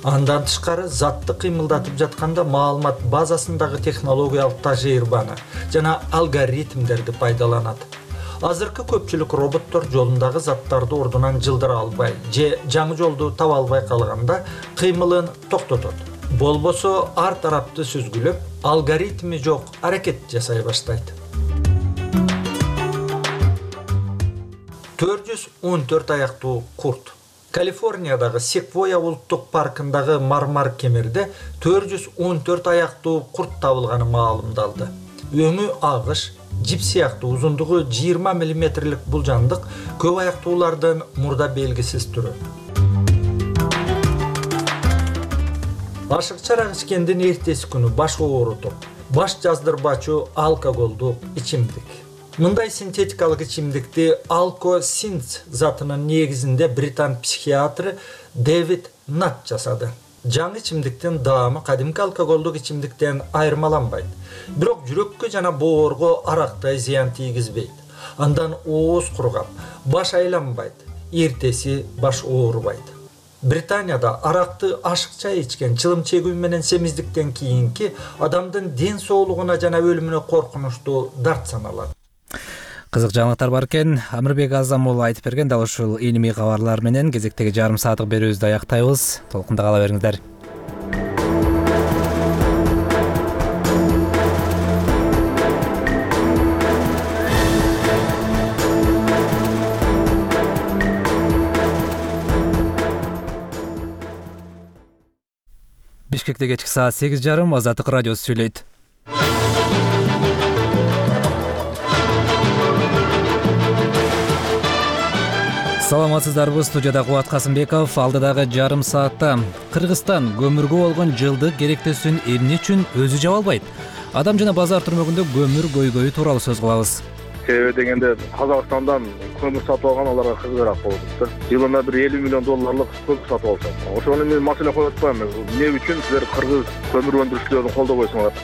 Андан тышкары затты кыймылдатып жатканда маалымат базасындагы технологиялык тажрыйбаны жана алгоритмдерди пайдаланат. Азыркы көпчүлүк роботтор жолундагы заттарды ордунан жылдыра албай же жаңы жолду таба албай калганда кыймылын токтотот. Болбосо ар тарапты сүзгүлөп, алгоритми жок аракет жасай баштайт. 414 аяктуу курт. Калифорниядагы Секвоя улуттук паркындагы мармар кемерде 414 аяктуу курт табылганы маалымдалды. Өңү агыш, жип сыяктуу узундугу 20 мм бул жандык көп аяктуулардын мурда белгисиз түрү. Ашыкча арак ичкендин эртеси күнү баш оорутуп, баш жаздырбачу алкоголдук ичимдик. Мындай синтетикалык ичимдикти алкосинц затынын негизинде британ психиатры Дэвид Нат жасады. Жаңы ичимдиктин даамы кадимки алкоголдук ичимдиктен айырмаланбайт. Бирок жүрөккө жана боорго арактай зыян тийгизбейт. Андан ооз кургап, баш айланбайт, эртеси баш оорубайт. Британияда аракты ашыкча ичкен, чылым чегүү менен семиздиктен кийинки адамдын ден соолугуна жана өлүмүнө коркунучтуу дарт саналат. Кызык жаңылыктар бар экен. Амирбек Азам уулу айтып берген дал ушул илимий кабарлар менен кезектеги жарым сааттык берүүбүздү аяктайбыз. Толкунда кала бериңиздер. Бишкекте кечки саат 8:30 Азаттык радиосу сүйлөйт. Саламатсыздарбы, студияда Кубат Касымбеков. Алдыдагы жарым саатта Кыргызстан көмүргө болгон жылдык керектесин эмне үчүн өзү жаба албайт? Адам жана базар түрмөгүндө көмүр көйгөйү тууралуу сөз кылабыз. Себеби дегенде Казакстандан көмүр сатып алган аларга кызыгыраак болуп атты. Жылына бир 50 миллион долларлык көмүр сатып алышат. Ошону мен маселе коюп атпайм. Эмне үчүн силер кыргыз көмүр өндүрүүчүлөрүн колдобойсуңар?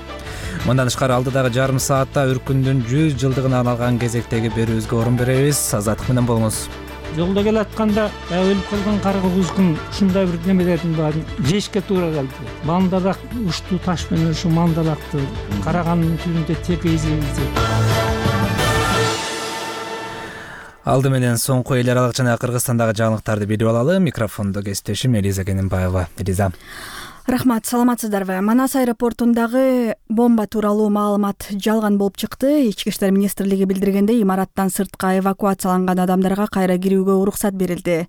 Мындан тышкары алдыдагы жарым саатта Үркүндүн 100 жылдыгына арналган кезектеги берүүбүзгө орун беребиз. Азаттык менен болуңуз. Жолдо келатканда өлүп калган кара кузгун ушундай бир немелердин баарын жешке туура келди. Мандалак уштуу таш менен ушу мандалакты караганын түбүндө текейзебиз. Алды менен соңку эл аралык жана Кыргызстандагы жаңылыктарды билип алалы. Микрофондо кесиптешим Элиза Кененбаева. Элиза. Рахмат, саламатсыздарбы? Манас аэропортундагы бомба тууралуу маалымат жалган болуп чыкты. Ички иштер министрлиги билдиргендей, имараттан сыртка эвакуацияланган адамдарга кайра кирүүгө уруксат берилди.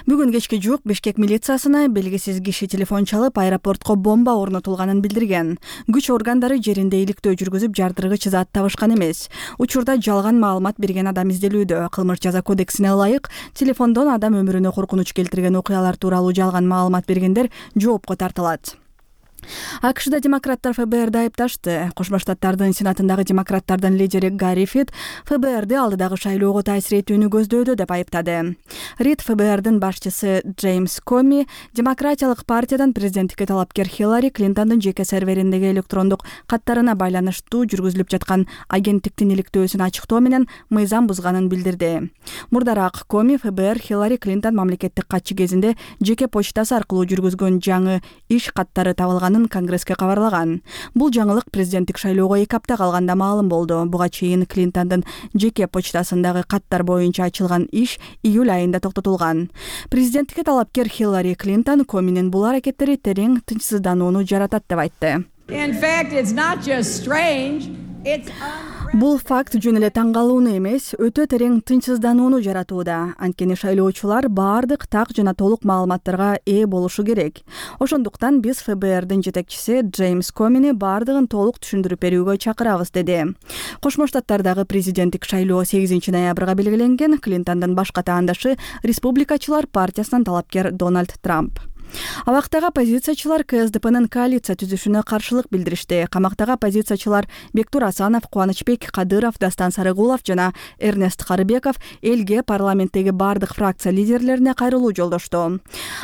Бүгүн кечке жуук Бишкек милициясына белгисиз киши телефон чалып, аэропортко бомба орнотулганын билдирген. Күч органдары жеринде иликтөө жүргүзүп, жардыргыч зат табышкан эмес. Учурда жалган маалымат берген адам изделүүдө. Кылмыш жаза кодексине ылайык, телефондон адам өмүрүнө коркунуч келтирген окуялар тууралуу жалган маалымат бергендер жоопко тартылат. АКШда демократтар ФБРди айыпташты. Кошмо Штаттардын Сенатындагы демократтардын лидери Гарри Рид ФБРди алдыдагы шайлоого таасир этүүнү көздөөдө деп айыптады. Рид ФБРдин башчысы Джеймс Коми демократиялык партиядан президенттикке талапкер Хиллари Клинтондун жеке сервериндеги электрондук каттарына байланыштуу жүргүзүлүп жаткан агенттиктин иликтөөсүн ачыктоо менен мыйзам бузганын билдирди. Мурдараак Коми ФБР Хиллари Клинтон мамлекеттик катчы кезинде жеке почтасы аркылуу жүргүзгөн жаңы иш каттары табылган Конгресске кабарлаган. Бул жаңылык президенттик шайлоого 2 апта калганда маалым болду. Буга чейин Клинтондун жеке почтасындагы каттар боюнча ачылган иш июль айында токтотулган. Президенттикке талапкер Хиллари Клинтон Коминин бул аракеттери терең тынчсызданууну жаратат деп айтты. Бул факт жөн эле таң калууну эмес, өтө терең тынчсызданууну жаратууда. Анткени шайлоочулар баардык так жана толук маалыматтарга ээ болушу керек. Ошондуктан биз ФБРдин жетекчиси Джеймс Комини баардыгын толук түшүндүрүп берүүгө чакырабыз, деди. Кошмо Штаттардагы президенттик шайлоо 8 ноябрга белгиленген. Клинтондун башка таандашы республикачылар партиясынан талапкер Дональд Трамп. Абактагы оппозициячылар КСДПнын коалиция түзүшүнө каршылык билдиришти. Камактагы оппозициячылар Бектур Асанов, Кубанычбек Кадыров, Дастан Сарыгулов жана Эрнест Карыбеков элге парламенттеги бардык фракция лидерлерине кайрылуу жолдошту.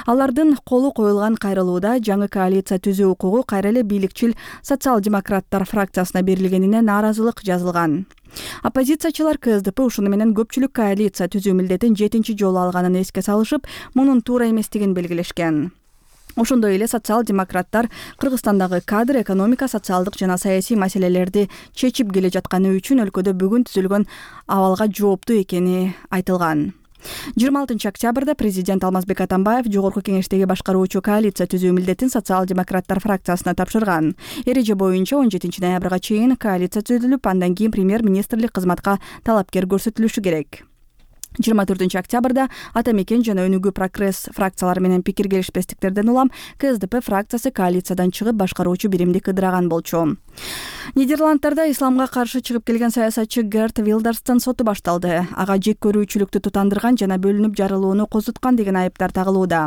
Алардын колу коюлган кайрылууда жаңы коалиция түзүү укугу кайра эле бийликчил социал-демократтар фракциясына берилгенине нааразылык жазылган. Оппозициячылар КСДП ушуну менен көпчүлүк коалиция түзүү милдетин 7 жолу алганын эске салышып, мунун туура эместигин белгилешкен. Ошондой эле социал-демократтар Кыргызстандагы кадр, экономика, социалдык жана саясий маселелерди чечип келе жатканы үчүн өлкөдө бүгүн түзүлгөн абалга жооптуу экени айтылган. 26 октябрда президент Алмазбек Атамбаев жогорку кеңештеги башкаруучу коалиция түзүү милдетин социал-демократтар фракциясына тапшырган. Эреже боюнча 17 ноябрга чейин коалиция түзүлүп, андан кийин премьер-министрлик кызматка талапкер көрсөтүлүшү керек. 24 октябрда Ата мекен жана Өнүгүү прогресс фракциялары менен пикир келишпестиктерден улам КСДП фракциясы коалициядан чыгып башкаруучу биримди кыдыраган болчу. Нидерланддарда исламга каршы чыгып келген саясатчы Герт Вилдерстин соту башталды. Ага жек көрүүчүлүктү тутандырган жана бөлүнүп жарылууну козуткан деген айыптар тагылууда.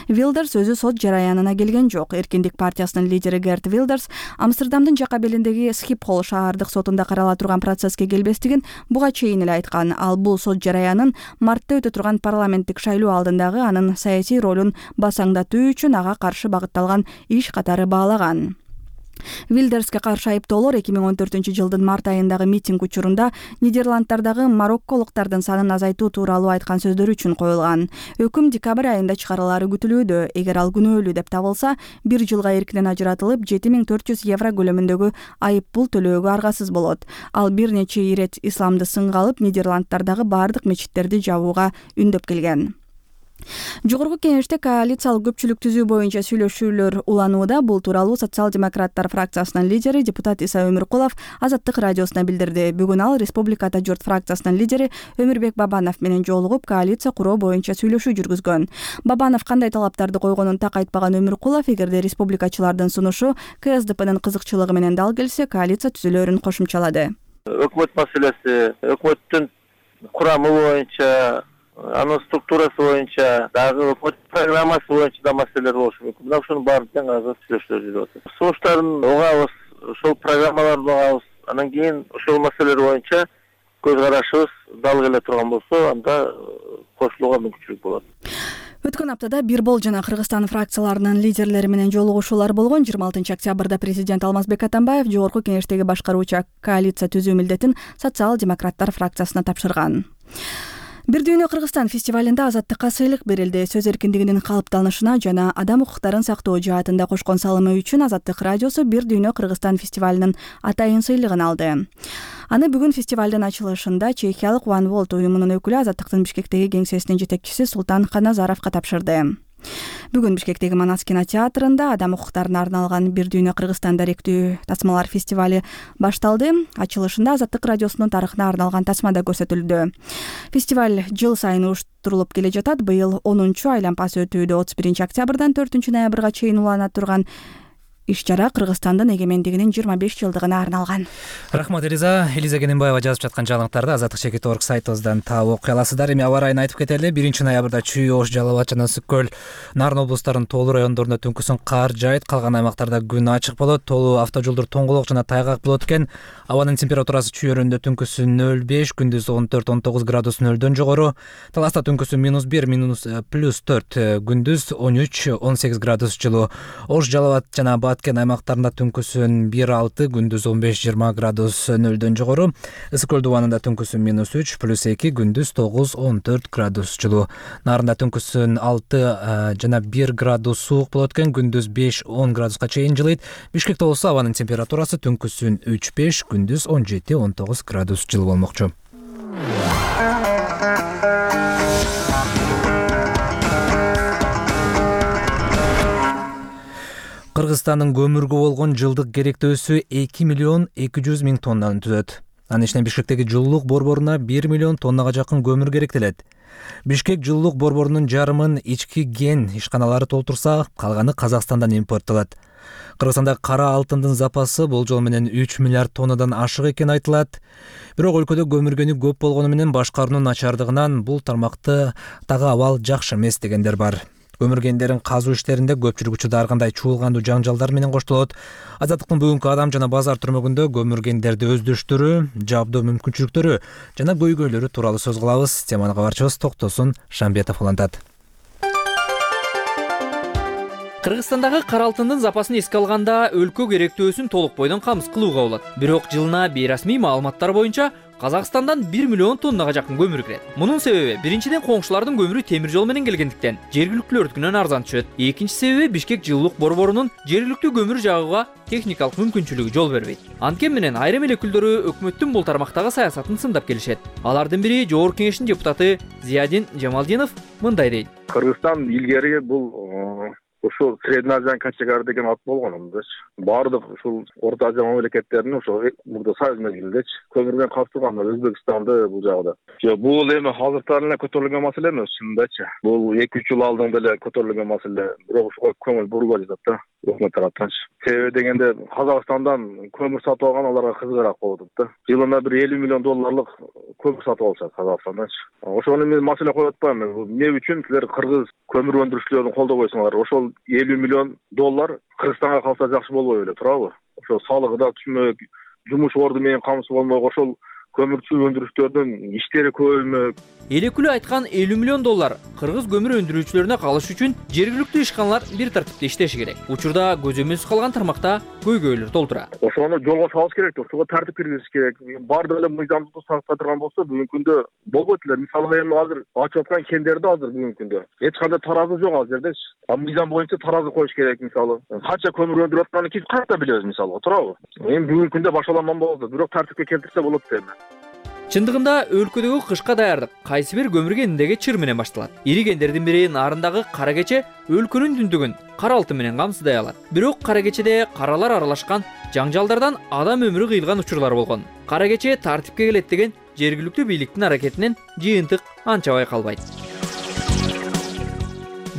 Вилдерс өзү сот жараянына келген жок. Эркиндик партиясынын лидери Герт Вилдерс Амстердамдын жака белиндеги Схипхол шаардык сотунда карала турган процесске келбестигин буга чейин эле айткан. Ал бул сот жараянын мартта өтө турган парламенттик шайлоо алдындагы анын саясий ролун басаңдатуу үчүн ага каршы багытталган иш катары баалаган. Вилдерске каршы айыптоолор 2014-жылдын март айындагы митинг учурунда Нидерланддардагы марокколуктардын санын азайтуу тууралуу айткан сөздөрү үчүн коюлган. Өкүм декабрь айында чыгарылары күтүлүүдө. Эгер ал күнөөлүү деп табылса, 1 жылга эркинен ажыратылып, 7400 евро көлөмүндөгү айып пул төлөөгө аргасыз болот. Ал бир нече ирет исламды сынга алып, Нидерланддардагы бардык мечиттерди жабууга үндөп келген. Жогорку кеңеште коалициялык көпчүлүк түзүү боюнча сүйлөшүүлөр уланууда. Бул тууралуу социал-демократтар фракциясынын лидери депутат Иса Өмүркулов Азаттык радиосуна билдирди. Бүгүн ал Республикада журт фракциясынын лидери Өмүрбек Бабанов менен жолугуп, коалиция куруу боюнча сүйлөшүү жүргүзгөн. Бабанов кандай талаптарды койгонун так айтпаган Өмүркулов, эгерде республикачылардын сунушу КСДПнын кызыкчылыгы менен дал келсе, коалиция түзүлөрүн кошумчалады. Өкмөт маселеси, өкмөттүн курамы боюнча, анын структурасы боюнча, дагы өкмөт программасы боюнча да маселелер болушу мүмкүн. Мына ушунун баарын тең азыр сүйлөшүүлөр жүрүп атат. Сунуштарын угабыз, ошол программаларды угабыз. Анан кийин ошол маселелер боюнча көз карашыбыз дал келе турган болсо, анда кошулууга мүмкүнчүлүк болот. Өткөн аптада Бирбол жана Кыргызстан фракцияларынын лидерлери менен жолугушуулар болгон. 26 октябрда президент Алмазбек Атамбаев жогорку кеңештеги башкаруучу коалиция түзүү милдетин социал-демократтар фракциясына тапшырган. Бир дүйнө Кыргызстан фестивалында азаттыкка сыйлык берилди. Сөз эркиндигинин калыптанышына жана адам укуктарын сактоо жаатында кошкон салымы үчүн Азаттык радиосу Бир дүйнө Кыргызстан фестивалынын атайын сыйлыгын алды. Аны бүгүн фестивалдын ачылышында чехиялык One World уюмунун өкүлү Азаттыктын Бишкектеги кеңсесинин жетекчиси Султан Каназаровго тапшырды. Бүгүн Бишкектеги Манас кинотеатрында адам укуктарына арналган Бир дүйнө Кыргызстан даректүү тасмалар фестивали башталды. Ачылышында Азаттык радиосунун тарыхына арналган тасма да көрсөтүлдү. Фестиваль жыл сайын уюштурулуп келе жатат. Быйыл 10-чу айланпасы өтүүдө 31 октябрдан 4 ноябрга чейин улана турган иш-чара Кыргызстандын эгемендигинин 25 жылдыгына арналган. Рахмат Элиза. Элиза Кененбаева жазып жаткан жаңылыктарды azattik.org сайтыбыздан таап окуй аласыздар. Эми аба ырайын айтып кетели. 1 ноябрда Чүй, Ош, Жалал Абад жана Ысык көл, Нарын облустарынын тоолуу райондорунда түнкүсүн кар жаайт, калган аймактарда күн ачык болот. Тоолуу автожолдор тоңголок жана тайгак болот экен. Абанын температурасы чүйөрүндө түнкүсүн 0,5, күндүз 14-19 градус нөлдөн жогору. Таласта түнкүсүн -1, +4, күндүз 13-18 градус жылуу. Ош, Жалал Абад жана Баткен аймактарында түнкүсүн 1,6, күндүз 15-20 градус нөлдөн жогору. Ысык көл дубанында түнкүсүн -3, +2, күндүз 9-14 градус жылуу. Нарында түнкүсүн 6 жана 1 градус суук болот экен, күндүз 5-10 градуска чейин жылыйт. Бишкекте болсо абанын температурасы түнкүсүн 3-5, күндүз 17-19 градус жылуу болмокчу. Кыргызстандын көмүргө болгон жылдык керектөөсү 2 миллион 200 миң тоннаны түзөт. Анын ичинен Бишкектеги жылуулук борборуна 1 миллион тоннага жакын көмүр керектелет. Бишкек жылуулук борборунун жарымын ички ген ишканалары толтурса, калганы Казакстандан импорттолот. Кыргызстанда кара алтындын запасы бул жол менен 3 миллиард тоннадан ашык экени айтылат. Бирок өлкөдө көмүргөнү көп болгону менен башкаруунун начардыгынан бул тармактагы абал жакшы эмес дегендер бар. Көмүргендерин казуу иштеринде көпчүлүк учурда ар кандай чуулгандуу жаңжалдар менен коштолот. Азаттыктын бүгүнкү адам жана базар түрмөгүндө көмүргендерди өздүштүрүү, жабдоо мүмкүнчүлүктөрү жана көйгөйлөрү тууралуу сөз кылабыз. Теманы кабарчыбыз Токтосун Шамбетов улантат. Кыргызстандагы кара алтындын запасын эске алганда өлкө керектөөсүн толук бойдон камсыз кылууга болот. Бирок жылына бейрасмий маалыматтар боюнча Казакстандан 1 миллион тоннага жакын көмүр кирет. Мунун себеби биринчиден коңшулардын көмүрү темир жол менен келгендиктен жергиликтүүлөрдүкүнөн арзан түшөт. Экинчи себеби Бишкек жылуулук борборунун жергиликтүү көмүр жагууга техникалык мүмкүнчүлүгү жол бербейт. Анткени менен айрым эл өкүлдөрү өкмөттүн бул тармактагы саясатын сындап келишет. Алардын бири Жогорку кеңештин депутаты Зиядин Жамалдинов мындай дейт. Кыргызстан илгери бул ошол Средний Азиянын кочегары деген ат болгон андачы. Баардык ушул Орто Азия мамлекеттеринин ошо мурда союз мезгилиндечи көмүр менен камсызган Өзбекстанды бул жагда. Жок, бул эми азыртан эле көтөрүлгөн маселе эмес, чынындачы. Бул 2-3 жыл алдын деле көтөрүлгөн маселе, бирок ошого көңүл бурулбай жатат да. Өкмөт тараптанчы. Себеби дегенде Казакстандан көмүр сатып алган аларга кызыгыраак болуп атат да. Жылына бир $50 миллион көмүр сатып алышат Казакстанданчы. Ошону мен маселе коюп атпайм. Эмне үчүн силер кыргыз көмүр өндүрүүчүлөрүн колдобойсуңар? Ошол $50 миллион Кыргызстанга калса жакшы болбой беле, туурабы? Ошол салыгы да түшмөк, жумуш орду менен камсыз болмок, ошол көмүрчү өндүрүүчүлөрдүн иштери көбөймөк. Элекүлө айткан $50 миллион кыргыз көмүр өндүрүүчүлөрүнө калыш үчүн жергиликтүү ишканалар бир тартипте иштеши керек. Учурда көзөмөлсүз калган тармакта көйгөйлөр толтура. Ошону жолго салыш керек, ошого тартип киргизиш керек. Баардык эле мыйзамдуу сактап турган болсо, бүгүнкү күндө болбойт эле. Мисалы эми азыр ачып аткан кендерде азыр бүгүнкү күндө эч кандай таразы жок ал жердечи. Мыйзам боюнча таразы коюш керек мисалы. Канча көмүр өндүрүп атканын биз кантип билебиз мисалы, туурабы? Эми бүгүнкү күндө башаламан болду, бирок тартипке келтирсе болот дейм. Чындыгында өлкөдөгү кышка даярдык кайсы бир көмүр кениндеги чыр менен башталат. Ири кендердин бири Нарындагы Кара Кече өлкөнүн түндүгүн кара алтын менен камсыздай алат. Бирок Кара Кечеде каралар аралашкан жаңжалдардан адам өмүрү кыйылган учурлар болгон. Кара Кече тартипке келет деген жергиликтүү бийликтин аракетинен жыйынтык анча байкалбайт.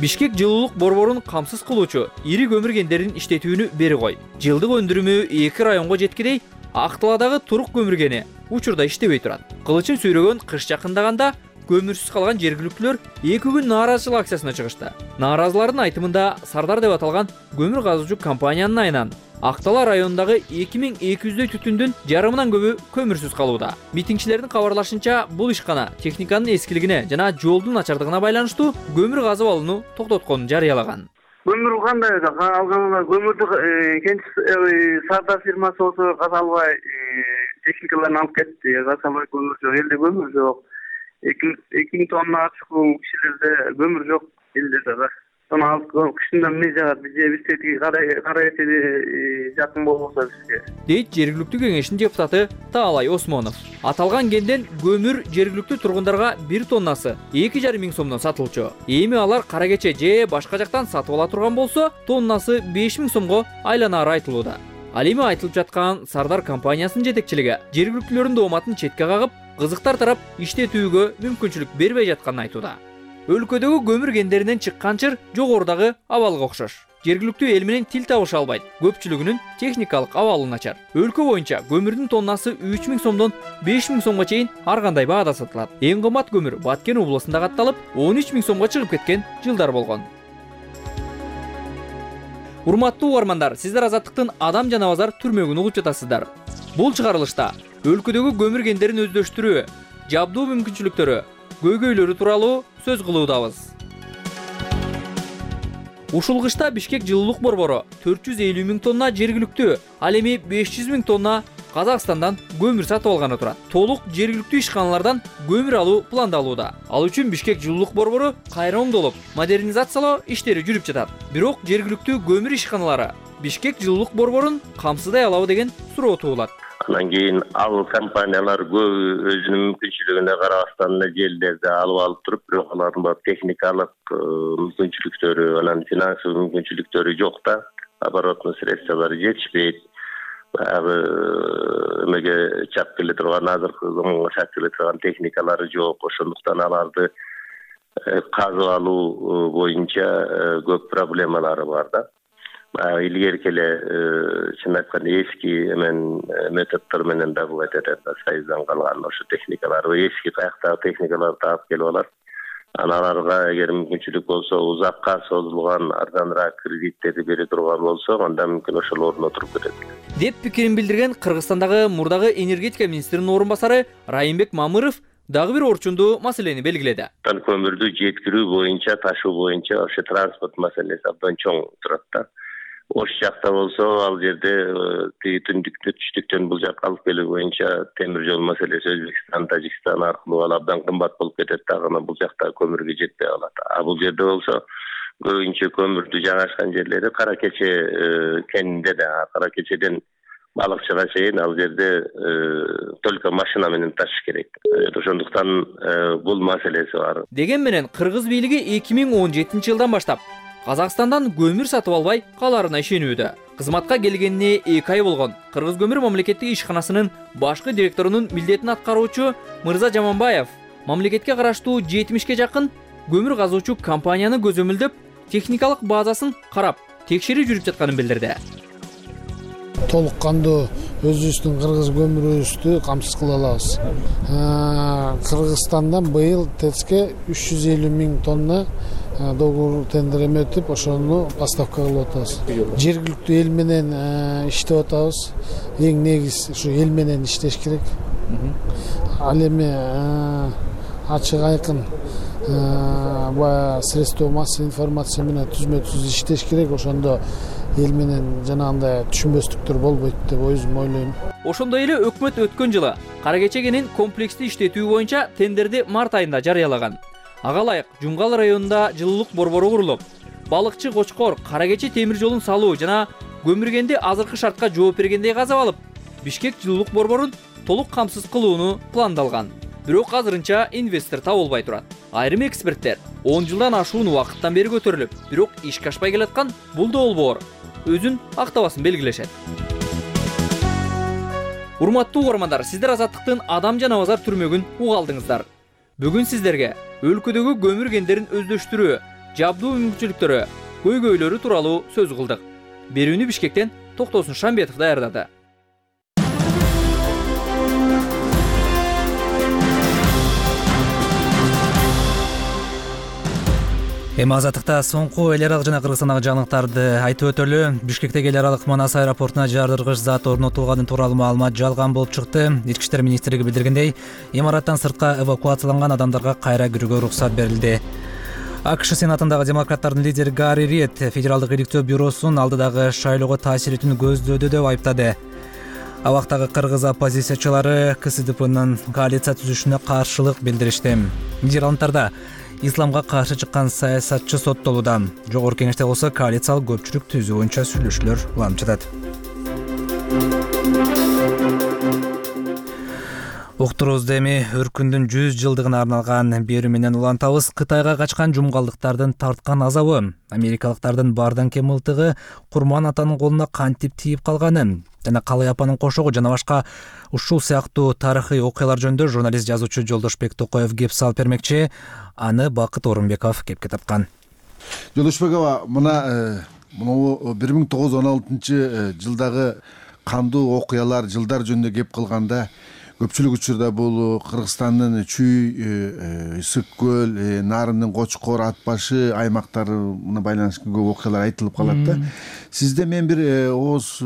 Бишкек жылуулук борборун камсыз кылуучу ири көмүр кендерин иштетүүнү бери кой. Жылдык өндүрүмү 2 районго жеткидей Актыладагы Турук көмүр кени учурда иштебей турат. Кылычын сүйрөгөн кыш жакындаганда көмүрсүз калган жергиликтүүлөр 2 күн нааразычылык акциясына чыгышты. Нааразылардын айтымында Сардар деп аталган көмүр казуучу компаниянын айынан Актала районундагы 2200дөй түтүндүн жарымынан көбү көмүрсүз калууда. Митингчилердин кабарлашынча, бул ишкана техниканын эскилигине жана жолдун начардыгына байланыштуу көмүр казып алууну токтотконун жарыялаган. Көмүр кандай алган көмүрдү Сардар фирмасы болсо казалбай техникаларын алып кетти. Казалбай көмүр жок, элде көмүр жок. 2000 тонна чукул кишилерде көмүр жок элде да. Сону алып кышында эмне жагат? Биздеги кара этеди жакын болбосо бизге. Дейт жергиликтүү кеңештин депутаты Таалай Осмонов. Аталган кенден көмүр жергиликтүү тургундарга 1 тоннасы 2,5 миң сомдон сатылчу. Эми алар Кара Кече же башка жактан сатып ала турган болсо, тоннасы 5 миң сомго айланары айтылууда. Ал эми айтылып жаткан Сардар компаниясынын жетекчилиги жергиликтүүлөрдүн дооматын четке кагып, кызыктар тарап иштетүүгө мүмкүнчүлүк бербей жатканын айтууда. Өлкөдөгү көмүр кендеринен чыккан чыр жогорудагы абалга окшош. Жергиликтүү эл менен тил табыша албайт. Көпчүлүгүнүн техникалык абалы начар. Өлкө боюнча көмүрдүн тоннасы 3 миң сомдон 5 миң сомго чейин ар кандай баада сатылат. Эң кымбат көмүр Баткен областында катталып, 13 миң сомго чыгып кеткен жылдар болгон. Урматтуу угармандар, сиздер Азаттыктын Адам жана базар түрмөгүн угуп жатасыздар. Бул чыгарылышта өлкөдөгү көмүр кендерин өздөштүрүү, жабдуу мүмкүнчүлүктөрү, көйгөйлөрү тууралуу сөз кылуудабыз. Ушул кышта Бишкек жылуулук борбору 450 миң тонна жергиликтүү, ал эми 500 миң тонна Казакстандан көмүр сатып алганы турат. Толук жергиликтүү ишканалардан көмүр алуу пландалууда. Ал үчүн Бишкек жылуулук борбору кайра оңдолуп, модернизациялоо иштери жүрүп жатат. Бирок жергиликтүү көмүр ишканалары Бишкек жылуулук борборун камсыздай алабы деген суроо туулат. Анан кийин ал компаниялар көбү өзүнүн мүмкүнчүлүгүнө карабастан желдерди алып туруп, бирок алардын баары техникалык мүмкүнчүлүктөрү, анан финансылык мүмкүнчүлүктөрү жок да. Оборотный средстволору жетишпейт. Баягы эмеге чап келе турган, азыркы заманга чап келе турган техникалары жок. Ошондуктан аларды казып алуу боюнча көп проблемалары бар да. Илгерки эле чын айтканда эски методдор менен да бул айтат, союздан калган ошо техникалар, эски каяктагы техникаларды алып келип алат. Аларга эгер мүмкүнчүлүк болсо, узакка созулган арзаныраак кредиттерди бере турган болсо, анда мүмкүн ошол ордуна туруп кетет. Деп пикирин билдирген Кыргызстандагы мурдагы энергетика министринин орун басары Райымбек Мамыров дагы бир орчундуу маселени белгиледи. Көмүрдү жеткирүү боюнча, ташуу боюнча ошо транспорт маселеси абдан чоң турат да. Ош жакта болсо, ал жерде тиги түштүктөн бул жакка алып келүү боюнча темир жол маселеси Өзбекстан, Тажикстан аркылуу ал абдан кымбат болуп кетет дагы, бул жакта көмүргө жетпей калат. Бул жерде болсо көбүнчө көмүрдү жайгашкан жерлери Кара Кече кенинде да, Кара Кечеден балыкчыга чейин ал жерде только машина менен ташыш керек. Ошондуктан бул маселеси бар. Деген менен кыргыз бийлиги 2017 жылдан баштап Казакстандан көмүр сатып албай каларына ишенүүдө. Кызматка келгенине 2 ай болгон Кыргыз көмүр мамлекеттик ишканасынын башкы директорунун милдетин аткаруучу Мырза Жаманбаев мамлекетке караштуу 70ке жакын көмүр казуучу компанияны көзөмөлдөп, техникалык базасын карап, текшерүү жүрүп жатканын билдирди. Толук кандуу өзүбүздүн кыргыз көмүрүбүздү камсыз кыла алабыз. Кыргызстандан быйыл ТЭЦке 350 000 тонна договор тендер өтүп, ошону поставка кылып атабыз. Жергиликтүү эл менен иштеп атабыз. Эң негиз ушу эл менен иштеш керек. Ал эми ачык айкын средства массовой информация менен түзмө-түз иштеш керек. Ошондо эл менен жанагындай түшүнбөстүктөр болбойт деп өзүм ойлойм. Ошондой эле өкмөт өткөн жылы Кара Кече кенин комплекстүү иштетүү боюнча тендерди март айында жарыялаган. Ага ылайык Жумгал районунда жылуулук борбору курулуп, балыкчы Кочкор Кара Кече темир жолун салуу жана көмүргенди азыркы шартка жооп бергендей казап алып, Бишкек жылуулук борборун толук камсыз кылууну пландалган. Бирок азырынча инвестор табылбай турат. Айрым эксперттер 10 жылдан ашуун убакыттан бери көтөрүлүп, бирок ишке ашпай келаткан бул долбоор өзүн актабасын белгилешет. Урматтуу угармандар, сиздер Азаттыктын Адам жана Базар түрмөгүн уга алдыңыздар. Бүгүн сиздерге өлкөдөгү көмүр кендерин өздөштүрүү, жабдуу мүмкүнчүлүктөрү, көйгөйлөрү тууралуу сөз кылдык. Берүүнү Бишкектен Токтосун Шамбетов даярдады. Эми Азаттыкта соңку эл аралык жана Кыргызстандагы жаңылыктарды айтып өтөлү. Бишкектеги эл аралык Манас аэропортуна жардыргыч зат орнотулганы тууралуу маалымат жалган болуп чыкты. Ички иштер министрлиги билдиргендей, имараттан сыртка эвакуацияланган адамдарга кайра кирүүгө уруксат берилди. АКШ Сенатындагы демократтардын лидери Гарри Рид Федералдык иликтөө бюросун алдыдагы шайлоого таасир этүүнү көздөөдү деп айыптады. Абактагы кыргыз оппозициячылары КСДПнын коалиция түзүшүнө каршылык билдиришти. Нидерландтарда исламга каршы чыккан саясатчы соттолууда. Жогорку кеңеште болсо коалициялык көпчүлүк түзүү боюнча сүйлөшүүлөр уланып жатат. Уктуруубузду эми өркүндүн 100 жылдыгына арналган берүү менен улантабыз. Кытайга качкан жумгалдыктардын тарткан азабы, америкалыктардын бардан кем мылтыгы Курман атанын колуна кантип тийип калганы жана Калай апанын кошогу жана башка ушул сыяктуу тарыхый окуялар жөнүндө журналист жазуучу Жолдошбек Токоев кеп салып бермекчи. Аны Бакыт Орунбеков кепке тапкан. Жолдошбекова, мына 1916 жылдагы кандуу окуялар, жылдар жөнүндө кеп кылганда көпчүлүк учурда бул Кыргызстандын Чүй, Ысык көл, Нарындын Кочкор, Ат башы аймактарына байланыштуу көп окуялар айтылып калат да. Сизде мен бир ооз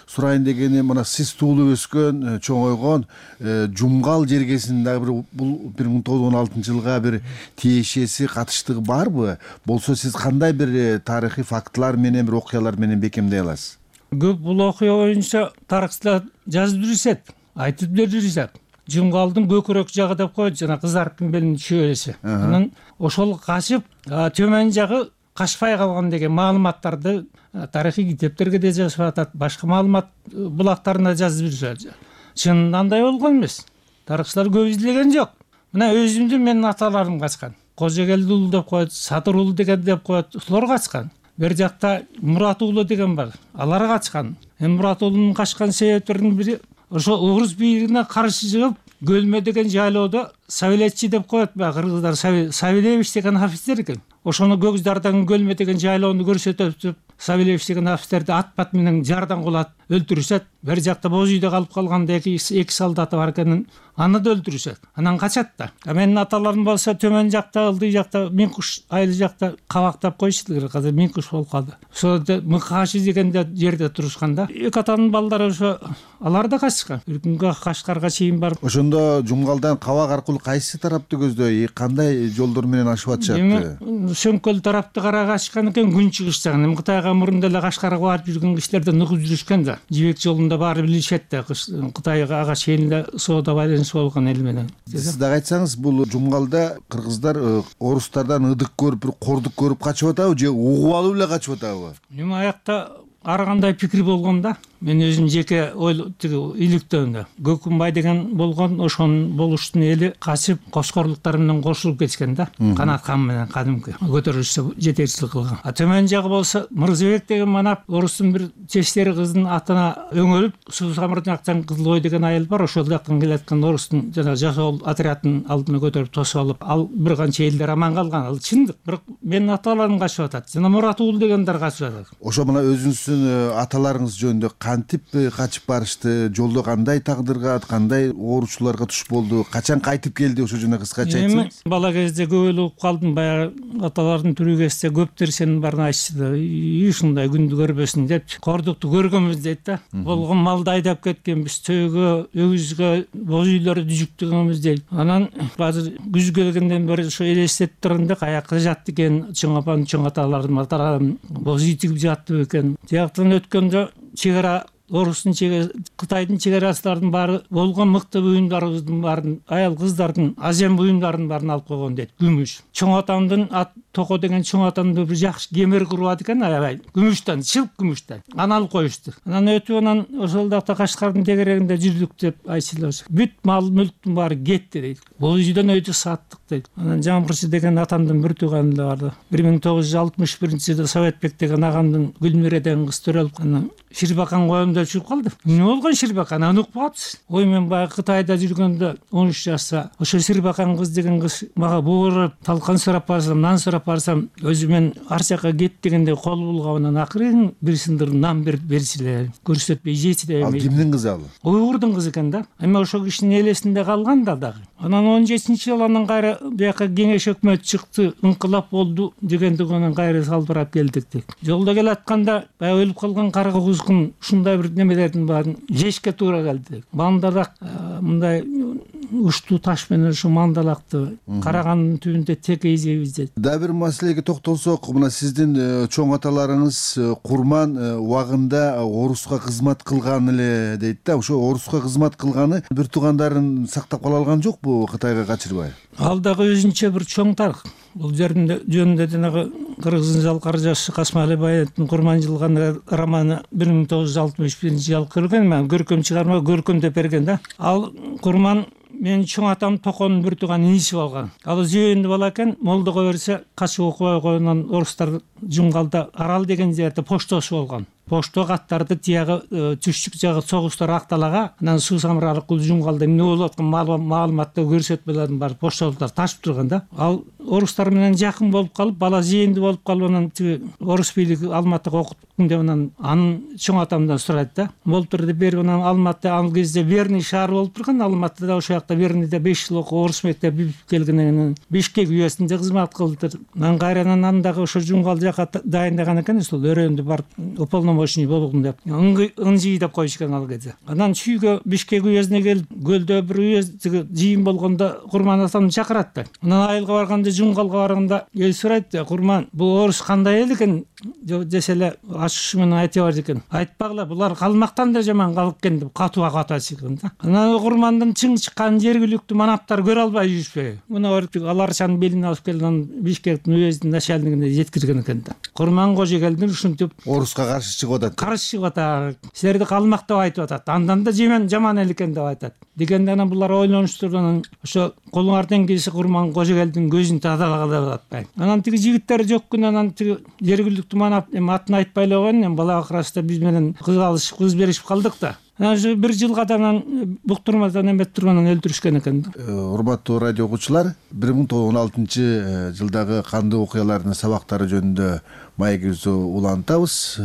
сурайын дегени, мына сиз туулуп өскөн, чоңойгон Жумгал жергесиндеги бул 1916 жылга бир тиешеси, катыштыгы барбы? Болсо сиз кандай бир тарыхый фактылар менен, бир окуялар менен бекемдей аласыз? Көп бул окуя боюнча тарыхчылар жазып жүрүшөт. Айтып жүрүшөт. Жумгалдын көкүрөк жагы деп коет, жана кызарттын белинин чөбөлөсү. Анан ошол качып, төмөн жагы качпай калган деген маалыматтарды тарыхый китептерге да жазып атат, башка маалымат булактарына жазып жүрүшөт. Чынында андай болгон эмес. Тарыхчылар көп излеген жок. Мына өзүмдүн менин аталарым качкан. Кожогелди уулу деп коет, Садыр уулу деген деп коет, ушулар качкан. Бер жакта Мурат уулу деген бар. Алар качкан. Мурат уулунун качкан себептеринин бири ошо Угруз бийлигине каршы чыгып, Көлмө деген жайлоодо Савелетчи деп коет, кыргыздар Савелевич деген офицер экен. Ошону Көкжардан Көлмө деген жайлоону көрсөтүп, Савелевич деген офицерди ат-бат менен жардан кулат, өлтүрүшөт. Бер жакта боз үйдө калып калганда эки солдаты бар экенин, аны да өлтүрүшөт. Анан качат да. Менин аталарым болсо төмөн жакта, ылдый жакта, Минкуш айыл жакта кабактап коюшту. Азыр Минкуш болуп калды. Ошо Мыкашы деген жерде турушканда, эки атанын балдары ошо алар да качкан. Бир күнгө Кашкарга чейин барып. Ошондо Жумгалдан кабак аркылуу кайсы тарапты көздөй, кандай жолдор менен ашып атышат? Сөмкөл тарапты карай качкан экен, күнчүгүш жагын. Кытайга мурунда эле Кашкарга барып жүргөн кишилерден угуп жүрүшкөн да. Жибек жолунда баары билишет да. Кытайга ага чейин эле соода байланыш болгон эл менен. Сиз дагы айтсаңыз, бул Жумгалда кыргыздар орустардан ыдык көрүп, бир кордук көрүп качып атабы же угуп алып эле качып атабы? Эми аякта ар кандай пикир болгон да. Мен өзүм жеке иликтөөмдө Көкүмбай деген болгон, ошонун болуштун эли качып коскорлуктар менен кошулуп кеткен да. Канат хан менен кадимки көтөрүлүшкө жетекчилик кылган. Төмөн жагы болсо Мырзабек деген манап орустун бир чечтери кыздын атына өңөлүп, Сусамырдактан Кызылой деген айыл бар, ошол жактан келаткан орустун жана жасоол отрядын алдына көтөрүп тосуп алып, ал бир канча элдер аман калган. Ал чындык. Бирок менин аталарым качып атат. Жана Мурат уулу дегендер качып атат. Ошо мына өзүңүздүн аталарыңыз жөнүндө кантип качып барышты, жолдо кандай тагдырга, кандай ооручуларга туш болду, качан кайтып келди, ошо жөнүндө кыскача айтсаңыз. Бала кезде көп эле угуп калдым, баягы аталардын тирүү кезде көптөр сенин баарын айтышты да, ушундай күндү көрбөсүн деп, кордукту көргөнбүз дейт да. Болгон малды айдап кеткенбиз, төөгө, өгүзгө, боз үйлөрдү жүктөгөнбүз дейт. Анан азыр күз келгенден бери ошо элестетип турганда каяка жатты экен, чоң апам, чоң аталардын аталарым боз үй тигип жатты экен. Тияктан өткөндө чек ара орустун Кытайдын чек арачылардын баары болгон мыкты буюмдарыбыздын баарын, аял кыздардын азем буюмдарын баарын алып койгон дейт. Күмүш. Чоң атамдын Токо деген чоң атамды бир жакшы кемер курбат экен, аябай күмүштөн, чылк күмүштөн. Аны алып коюшту. Анан өтүп анан ошол жакта Кашкардын тегерегинде жүрдүк деп айтчылар. Бүт мал мүлктүн баары кетти дейт. Бул үйдөн өйдү саттык дейт. Анан Жамгырчы деген атамдын бир тууганы да барды. 1961-жылы Советбек деген агамдын Гүлмире деген кыз төрөлүп, анан Ширбакан коем деп чыгып калды. Эмне болгон Ширбакан? Аны укпапсыз. Ой, мен баягы Кытайда жүргөндө 13 жашта ошо Ширбакан кыз деген кыз мага бууруп, талкан сурап барсам, нан сурап барсам, өзү мен ар жака кет дегенде кол булгап, анан акырын бир сындыр нан берчиле, көрсөтпөй жечиле. Ал кимдин кызы ал? Уйгурдун кызы экен да. Эми ошо кишинин элесинде калган да дагы. Анан 17-жылы анан кайра бияка кеңеш өкмөт чыкты, инкылап болду дегенден анан кайра салбырап келдик дейт. Жолдо келатканда баягы өлүп калган карга кузгун ушундай бир немелердин баарын жешке туура келди. Мандалак мындай уштуу таш менен ушу мандалакты карагандын түбүндө тек эзебиз дейт. Да бир маселеге токтолсок, мына сиздин чоң аталарыңыз Курман убагында оруска кызмат кылган эле дейт да. Ошо оруска кызмат кылганы бир туугандарын сактап кала алган жокпу Кытайга качырбай? Ал дагы өзүнчө бир чоң тарых. Бул жөнүндө жанагы Кыргыздын жалкар жашы Касмали Баяновдун Курман жылган романы 1961-жылы көргөн, мен көркөм чыгарма көркөм деп берген да. Ал Курман менин чоң атам Токонун бир тууган иниси болгон. Ал зүйөндү бала экен, молдого берсе качып окубай койгондон орустар Жумгалда Арал деген жерде поштосу болгон. Пошто каттарды тиягы түштүк жагы согуштар акталага, анан суу самыралык Жумгалда эмне болуп аткан маалыматты көрсөтмөлөрдүн баары поштолуктар ташып турган да. Ал орустар менен жакын болуп калып, бала зээндүү болуп калып, анан орус бийлиги Алматыга окуттум деп анан анын чоң атамдан сурайт да. Болуптур деп берип, анан Алматы ал кезде Верный шаары болуп турган, Алматыда ошол жакта Верныйда 5 жыл окуп, орус мектеби бүтүп келгенден кийин Бишкек үйөсүндө кызмат кылды. Анан кайрадан андагы ошо Жумгал жака дайындаган экен, ошол өрөөндү барып уполномоченный болгун деп ыңжый деп коюшкан ал кезде. Анан чүйгө Бишкек үйөсүнө келип, көлдө бир үйөс жыйын болгондо Курман атамды чакырат да. Анан айылга барганда, Жумгалга барганда эл сурайт да, Курман, бул орус кандай эл экен десе эле ачышы менен айта бар экен. Айтпагыла, булар калмактан да жаман калып экен деп катуу чыккан да. Анан Курмандын чың чыккан жергиликтүү манаптар көрө албай жүрүшпөйбү. Муну аларчанын белине алып келип, анан Бишкектин үйөсүнүн начальнигине жеткирген экен да. Курман Кожогелдин ушинтип оруска каршы чыгып атат. Каршы чыгып атат. Силерди калмак деп айтып атат. Андан да жаман эл экен деп айтат. Дегенде анан булар ойлонуштур, анан ошо колуңардан келсе Курман Кожогелдин көзүн тазалагыла деп атпайбы. Анан тиги жигиттер жок күн, анан тиги жергиликтүү манап атын айтпай эле койгон, бала акырашта биз менен кыз алышып, кыз беришип калдык да. Анан бир жылга да анан буктурмадан эмет тургандан өлтүрүшкөн экен. Урматтуу радио окуучулар, 1916-жылдагы кандуу окуялардын сабактары жөнүндө маегибизди улантабыз.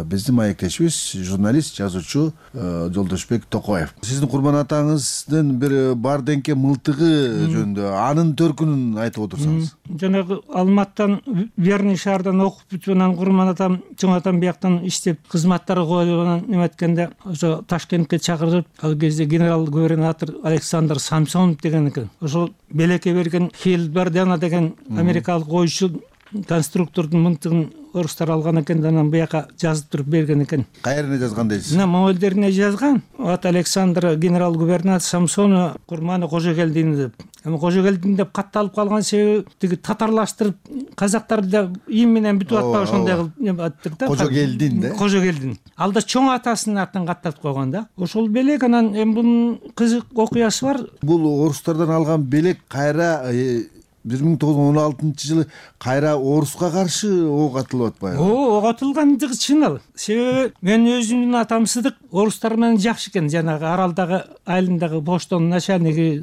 Биздин маектешибиз журналист, жазуучу Жолдошбек Токоев. Сиздин Курман атаңыздын бир бардеңке мылтыгы жөнүндө анын төркүнүн айтып отурсаңыз. Жанагы Алматтан Верный шаардан окуп бүтүп, анан Курман атам, чоң атам бияктан иштеп кызматтар коюп, анан эметкенде ошо Ташкентке чакырып, ал кезде генерал губернатор Александр Самсонов деген экен. Ошол белекке берген Хилбердена деген америкалык ойчу конструктордун мынтыгын орустар алган экен, анан буяка жазып туруп берген экен. Кайерine жазган дейсиз? Мамөлдерине жазган. От Александр генерал губернатор Самсонов Курманы Кожогелдин деп. эми Кожокелдин деп катталып калган себеби тиги татарлаштырып казактарды да им менен бүтүп атпагы ошондой кылып аттыр да. Кожокелдин да. Кожокелдин. Ал да чоң атасынын атын каттатып койгон да. Ошол белек анан эми бунун кызык окуясы бар. Бул орустардан алган белек кайра 1916 жылы кайра оруска каршы ок атылып атпайбы? Ок атылгандыгы чын ал. Себеби мен өзүмдүн атам Сыдык орустар менен жакшы экен, жанагы Аралдагы айылындагы поштонун начальниги,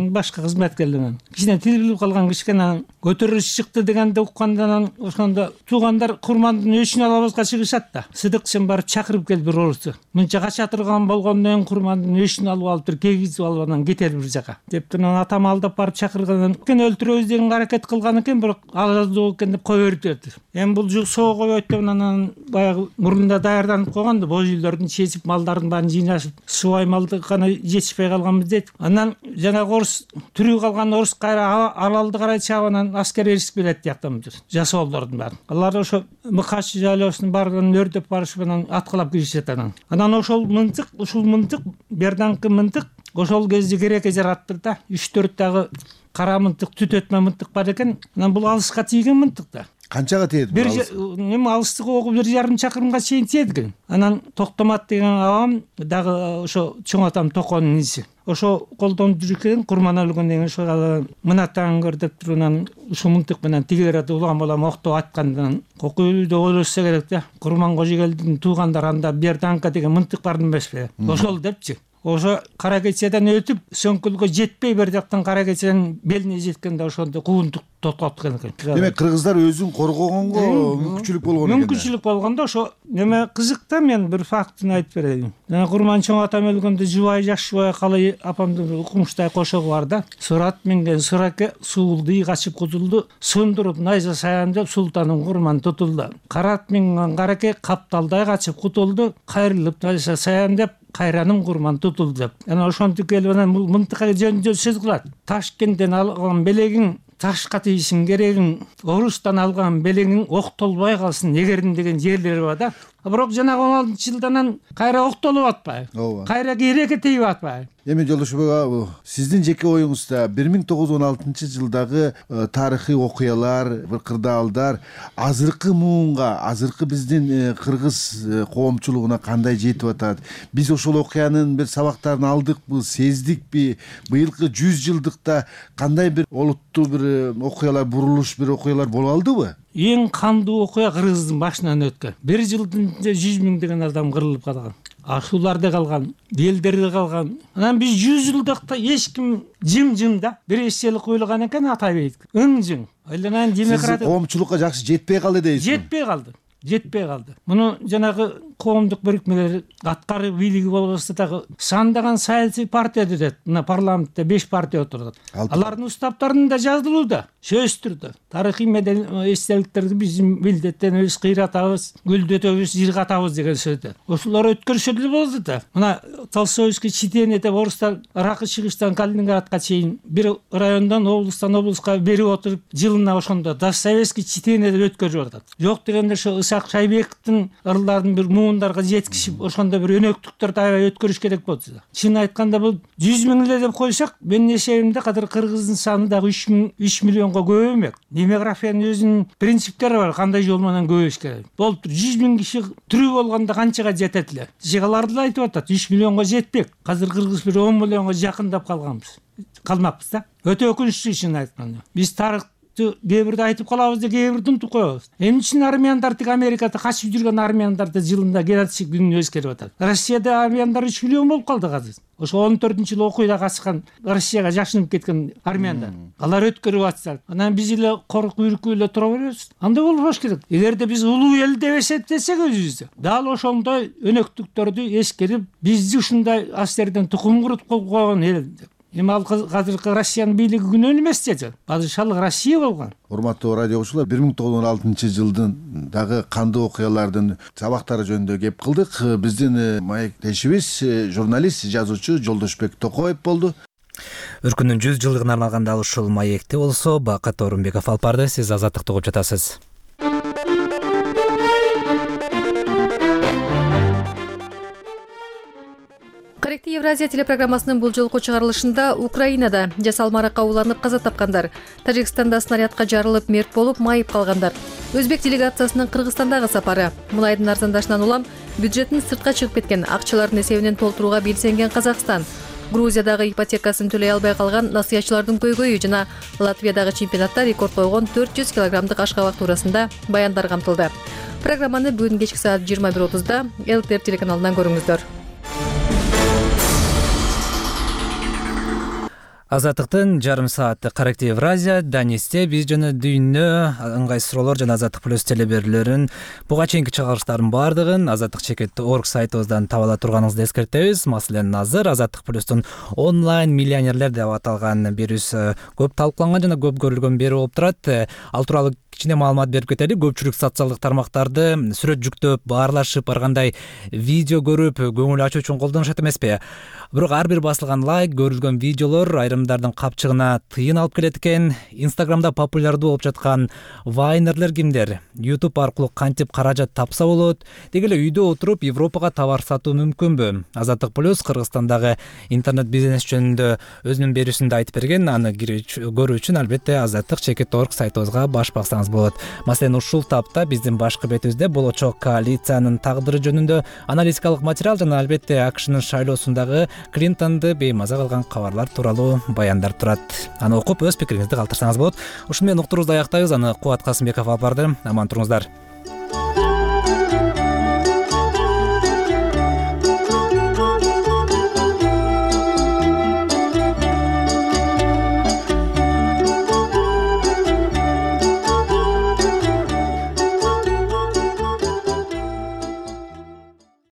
башка кызматкерлер. Кичине тил билип калган кичине көтөрүлүш чыкты дегенди уккандан ошондо туугандар курмандын өчүн алабызга чыгышат да. Сыдык сен барып чакырып кел бир орусу. Мынча кача турган болгондон курмандын өчүн алып алыптыр, кегизип алып анан кетер бир жака. Деп анан атам алдап барып чакыргандан кийин өлтүрөбүз деген аракет кылган экен, бирок алуу экен деп кое берди. Эми бул соо коет деп анан баягы мурунда даярданып койгон да, боз үйлөрдүн чечип малдардын баарын жыйнашып, субай малды гана жетишпей калганбыз дейт. Анан жанагы орус тирүү калган орус кайра Аралды карай чаап анан аскер эришип келет тияктан жасоолордун баары. Алар ошо Мыкач жайлоосунун баарын өрдөп барышып анан аткылап киришет анан. Анан ушул мынтык берданкы мынтык ошол кезде керекке жараттыр да. 3-4 дагы кара мынтык, түт өтмө мынтык бар экен. Анан бул алыска тийген мынтык да. Канчага тиет бул? Эми алыстыгы 1,5 чакырымга чейин тиет экен. Анан Токтомат деген абам дагы ошо чоң атам Токонун иниси. Ошо колдонуп жүргөн курман өлгөн деген ошо мынатаң көр деп туруп анан ушул мынтык менен тигерде улам улам октоп аткандан кокуйду ойлошсо керек да. Курман Кожокелдин туугандары анда Берданка деген мынтык бар эмеспи? Ошол депчи. Ошо кара кечеден өтүп сөңкүлгө жетпей бер жактан кара кеченин белине жеткенде ошондо куундук токтоткон экен. Демек кыргыздар өзүн коргогонго мүмкүнчүлүк болгон экен. Мүмкүнчүлүк болгондо ошо неме кызык да, мен бир фактын айтып берейин. Жана Курман чоң атам өлгөндө жубай жакшыбай калай апамдын укмуштай кошогу бар да. Сурат минген сураке суулду качып кутулду, сундуруп найза саян деп султаным Курман тутулду. Карат минген караке капталдай качып кутулду, кайрылып найза саян деп кайраным Курман тутулду деп. Анан ошентип келип анан мынтыкка жөн сөз кылат. Ташкенттен алган белегиң ташка тийишин керегиң, орустан алган белегиң октолбой калсын эгердин деген жерлери бар да. Бирок жанагы 16-жылдан кайра октолуп атпайбы? Кайра керекке тийип атпайбы? Эми Жолдошбек ага, сиздин жеке оюңузда 1916-жылдагы тарыхый окуялар, бир кырдаалдар азыркы муунга, азыркы биздин кыргыз коомчулугуна кандай жетип атат? Биз ошол окуянын бир сабактарын алдыкпы, сездикпи? Быйылкы 100 жылдыкта кандай бир олуттуу бир окуялар, бурулуш бир окуялар боло алдыбы? Эң кандуу окуя Кыргыздын башынан өткөн. Бир жылдын 100 миңдеген адам кырылып калган. Ашууларда калган, элдерде калган. Анан биз 100 жылдыкта эч ким жым да. Бир эсселик куйулган экен Атайбек. Ың-жың. Айланан демократия коомчулукка жакшы жетпей калды дейсиз. Жетпей калды. Муну жанагы коомдук бирикмелер аткары бийлиги болбосо дагы сандаган саясий партия дедет. Мына парламентте 5 партия отурат. Алардын устаптарында жазылууда, сөз түрдө. Тарыхый эстеликтерди биздин милдеттенебиз, кыйратабыз, гүлдөтөбүз, жыргатабыз деген сөздөр. Ошолор өткөрүшө деле болду да. Мына Толстойский читение деп орустар Ракы чыгыштан Калининградка чейин бир райондон облуска берип отуруп, жылына ошондо Достоевский читение деп өткөрүп атат. Жок дегенде ошо Исак Шайбековдун ырларын бир муундарга жеткизип, ошондо бир өнөктүктөрдү аябай өткөрүш керек болду. Чын айтканда бул 100 миң эле деп койсок, менин эсебимде кадыр кыргыздын саны дагы 3 миллионго көп эмес. Демографиянын өзүнүн принциптери бар, кандай жол менен көбөйүш керек. Болуптур 100 миң киши тирүү болгондо канчага жетет эле? Жыгаларды айтып атат, 3 миллионго жетпек. Азыр кыргыз бир 10 миллионго жакындап калмакпыз да. Өтө өкүнүчтүү чын айтканда. Биз тарых кээ бирде айтып калабыз да, кээ бирде унутуп коебуз. Эмне үчүн армияндар тик Америкада качып жүргөн армияндарды жылында геноцид күнүнө өзгөрүп атат? Россияда армияндар 3 миллион болуп калды азыр. Ошо 14-жылы окуйда качкан, Россияга жашынып кеткен армияндар. Алар өткөрүп атышат. Анан биз эле коркуп үркүп эле тура беребиз. Андай болбош керек. Эгерде биз улуу эл деп эсептесек өзүбүздү, дал ошондой өнөктүктөрдү эскерип, бизди ушундай астерден тукум куруп койгон эл. Эми ал азыркы Россиянын бийлиги күнөө эмес деди. Падышалык Россия болгон. Урматтуу радио окуучулар, 1916-жылдын дагы кандуу окуялардын сабактары жөнүндө кеп кылдык. Биздин маектешибиз журналист, жазуучу Жолдошбек Токоев болду. Өркүндүн 100 жылдыгына арналган дал ушул маекти болсо, Бакыт Орунбеков алып барды. Сиз Азаттыкты угуп жатасыз. Корректив Евразия телепрограммасынын бул жолку чыгарылышында Украинада жасалма аракка уланып каза тапкандар, Тажикстанда снарядка жарылып мерт болуп майып калгандар, өзбек делегациясынын Кыргызстандагы сапары, мунайдын арзандашынан улам бюджеттин сыртка чыгып кеткен акчалардын эсебинен толтурууга белсенген Казакстан, Грузиядагы ипотекасын төлөй албай калган насыятчылардын көйгөйү жана Латвиядагы чемпионатта рекорд койгон 400 килограммдык ашкабак туурасында баяндар камтылды. Программаны бүгүн кечки саат 21:30 ЛТР телеканалынан көрүңүздөр. Азаттыктын жарым саатты Корректив Евразия Данисте биз жана дүйнө ыңгай суроолор жана Азаттык плюс телеберүүлөрүн буга чейинки чыгарылыштардын баардыгын azattik.org сайтыбыздан таба ала турганыңызды эскертебиз. Маселен, азыр Азаттык плюстун онлайн миллионерлер деп аталган берүүсү көп талкууланган жана көп көрүлгөн берүү болуп турат. Ал тууралуу кичине маалымат берип кетели. Көпчүлүк социалдык тармактарды сүрөт жүктөп, баарлашып, ар кандай видео көрүп, көңүл ачуу үчүн колдонушат эмеспи? Бирок ар бир басылган лайк, көрүлгөн видеолор айрымдардын капчыгына тыйын алып келет экен. Инстаграмда популярдуу болуп жаткан вайнерлер кимдер? YouTube аркылуу кантип каражат тапса болот? Деги эле үйдө отуруп Европага товар сатуу мүмкүнбү? Азаттык плюс Кыргызстандагы интернет бизнес жөнүндө өзүнүн берүүсүндө айтып берген. Аны көрүү үчүн албетте azattik.org сайтыбызга баш бассаңыз болот. Маселен, ушул тапта биздин башкы бетибизде болочок коалициянын тагдыры жөнүндө аналитикалык материал жана албетте АКШнын шайлоосундагы Клинтонду беймаза кылган кабарлар тууралуу баяндар турат. Аны окуп өз пикириңизди калтырсаңыз болот. Ушуну менен уктуруубузду аяктайбыз. Аны Кубат Касымбеков алып барды. Аман туруңуздар.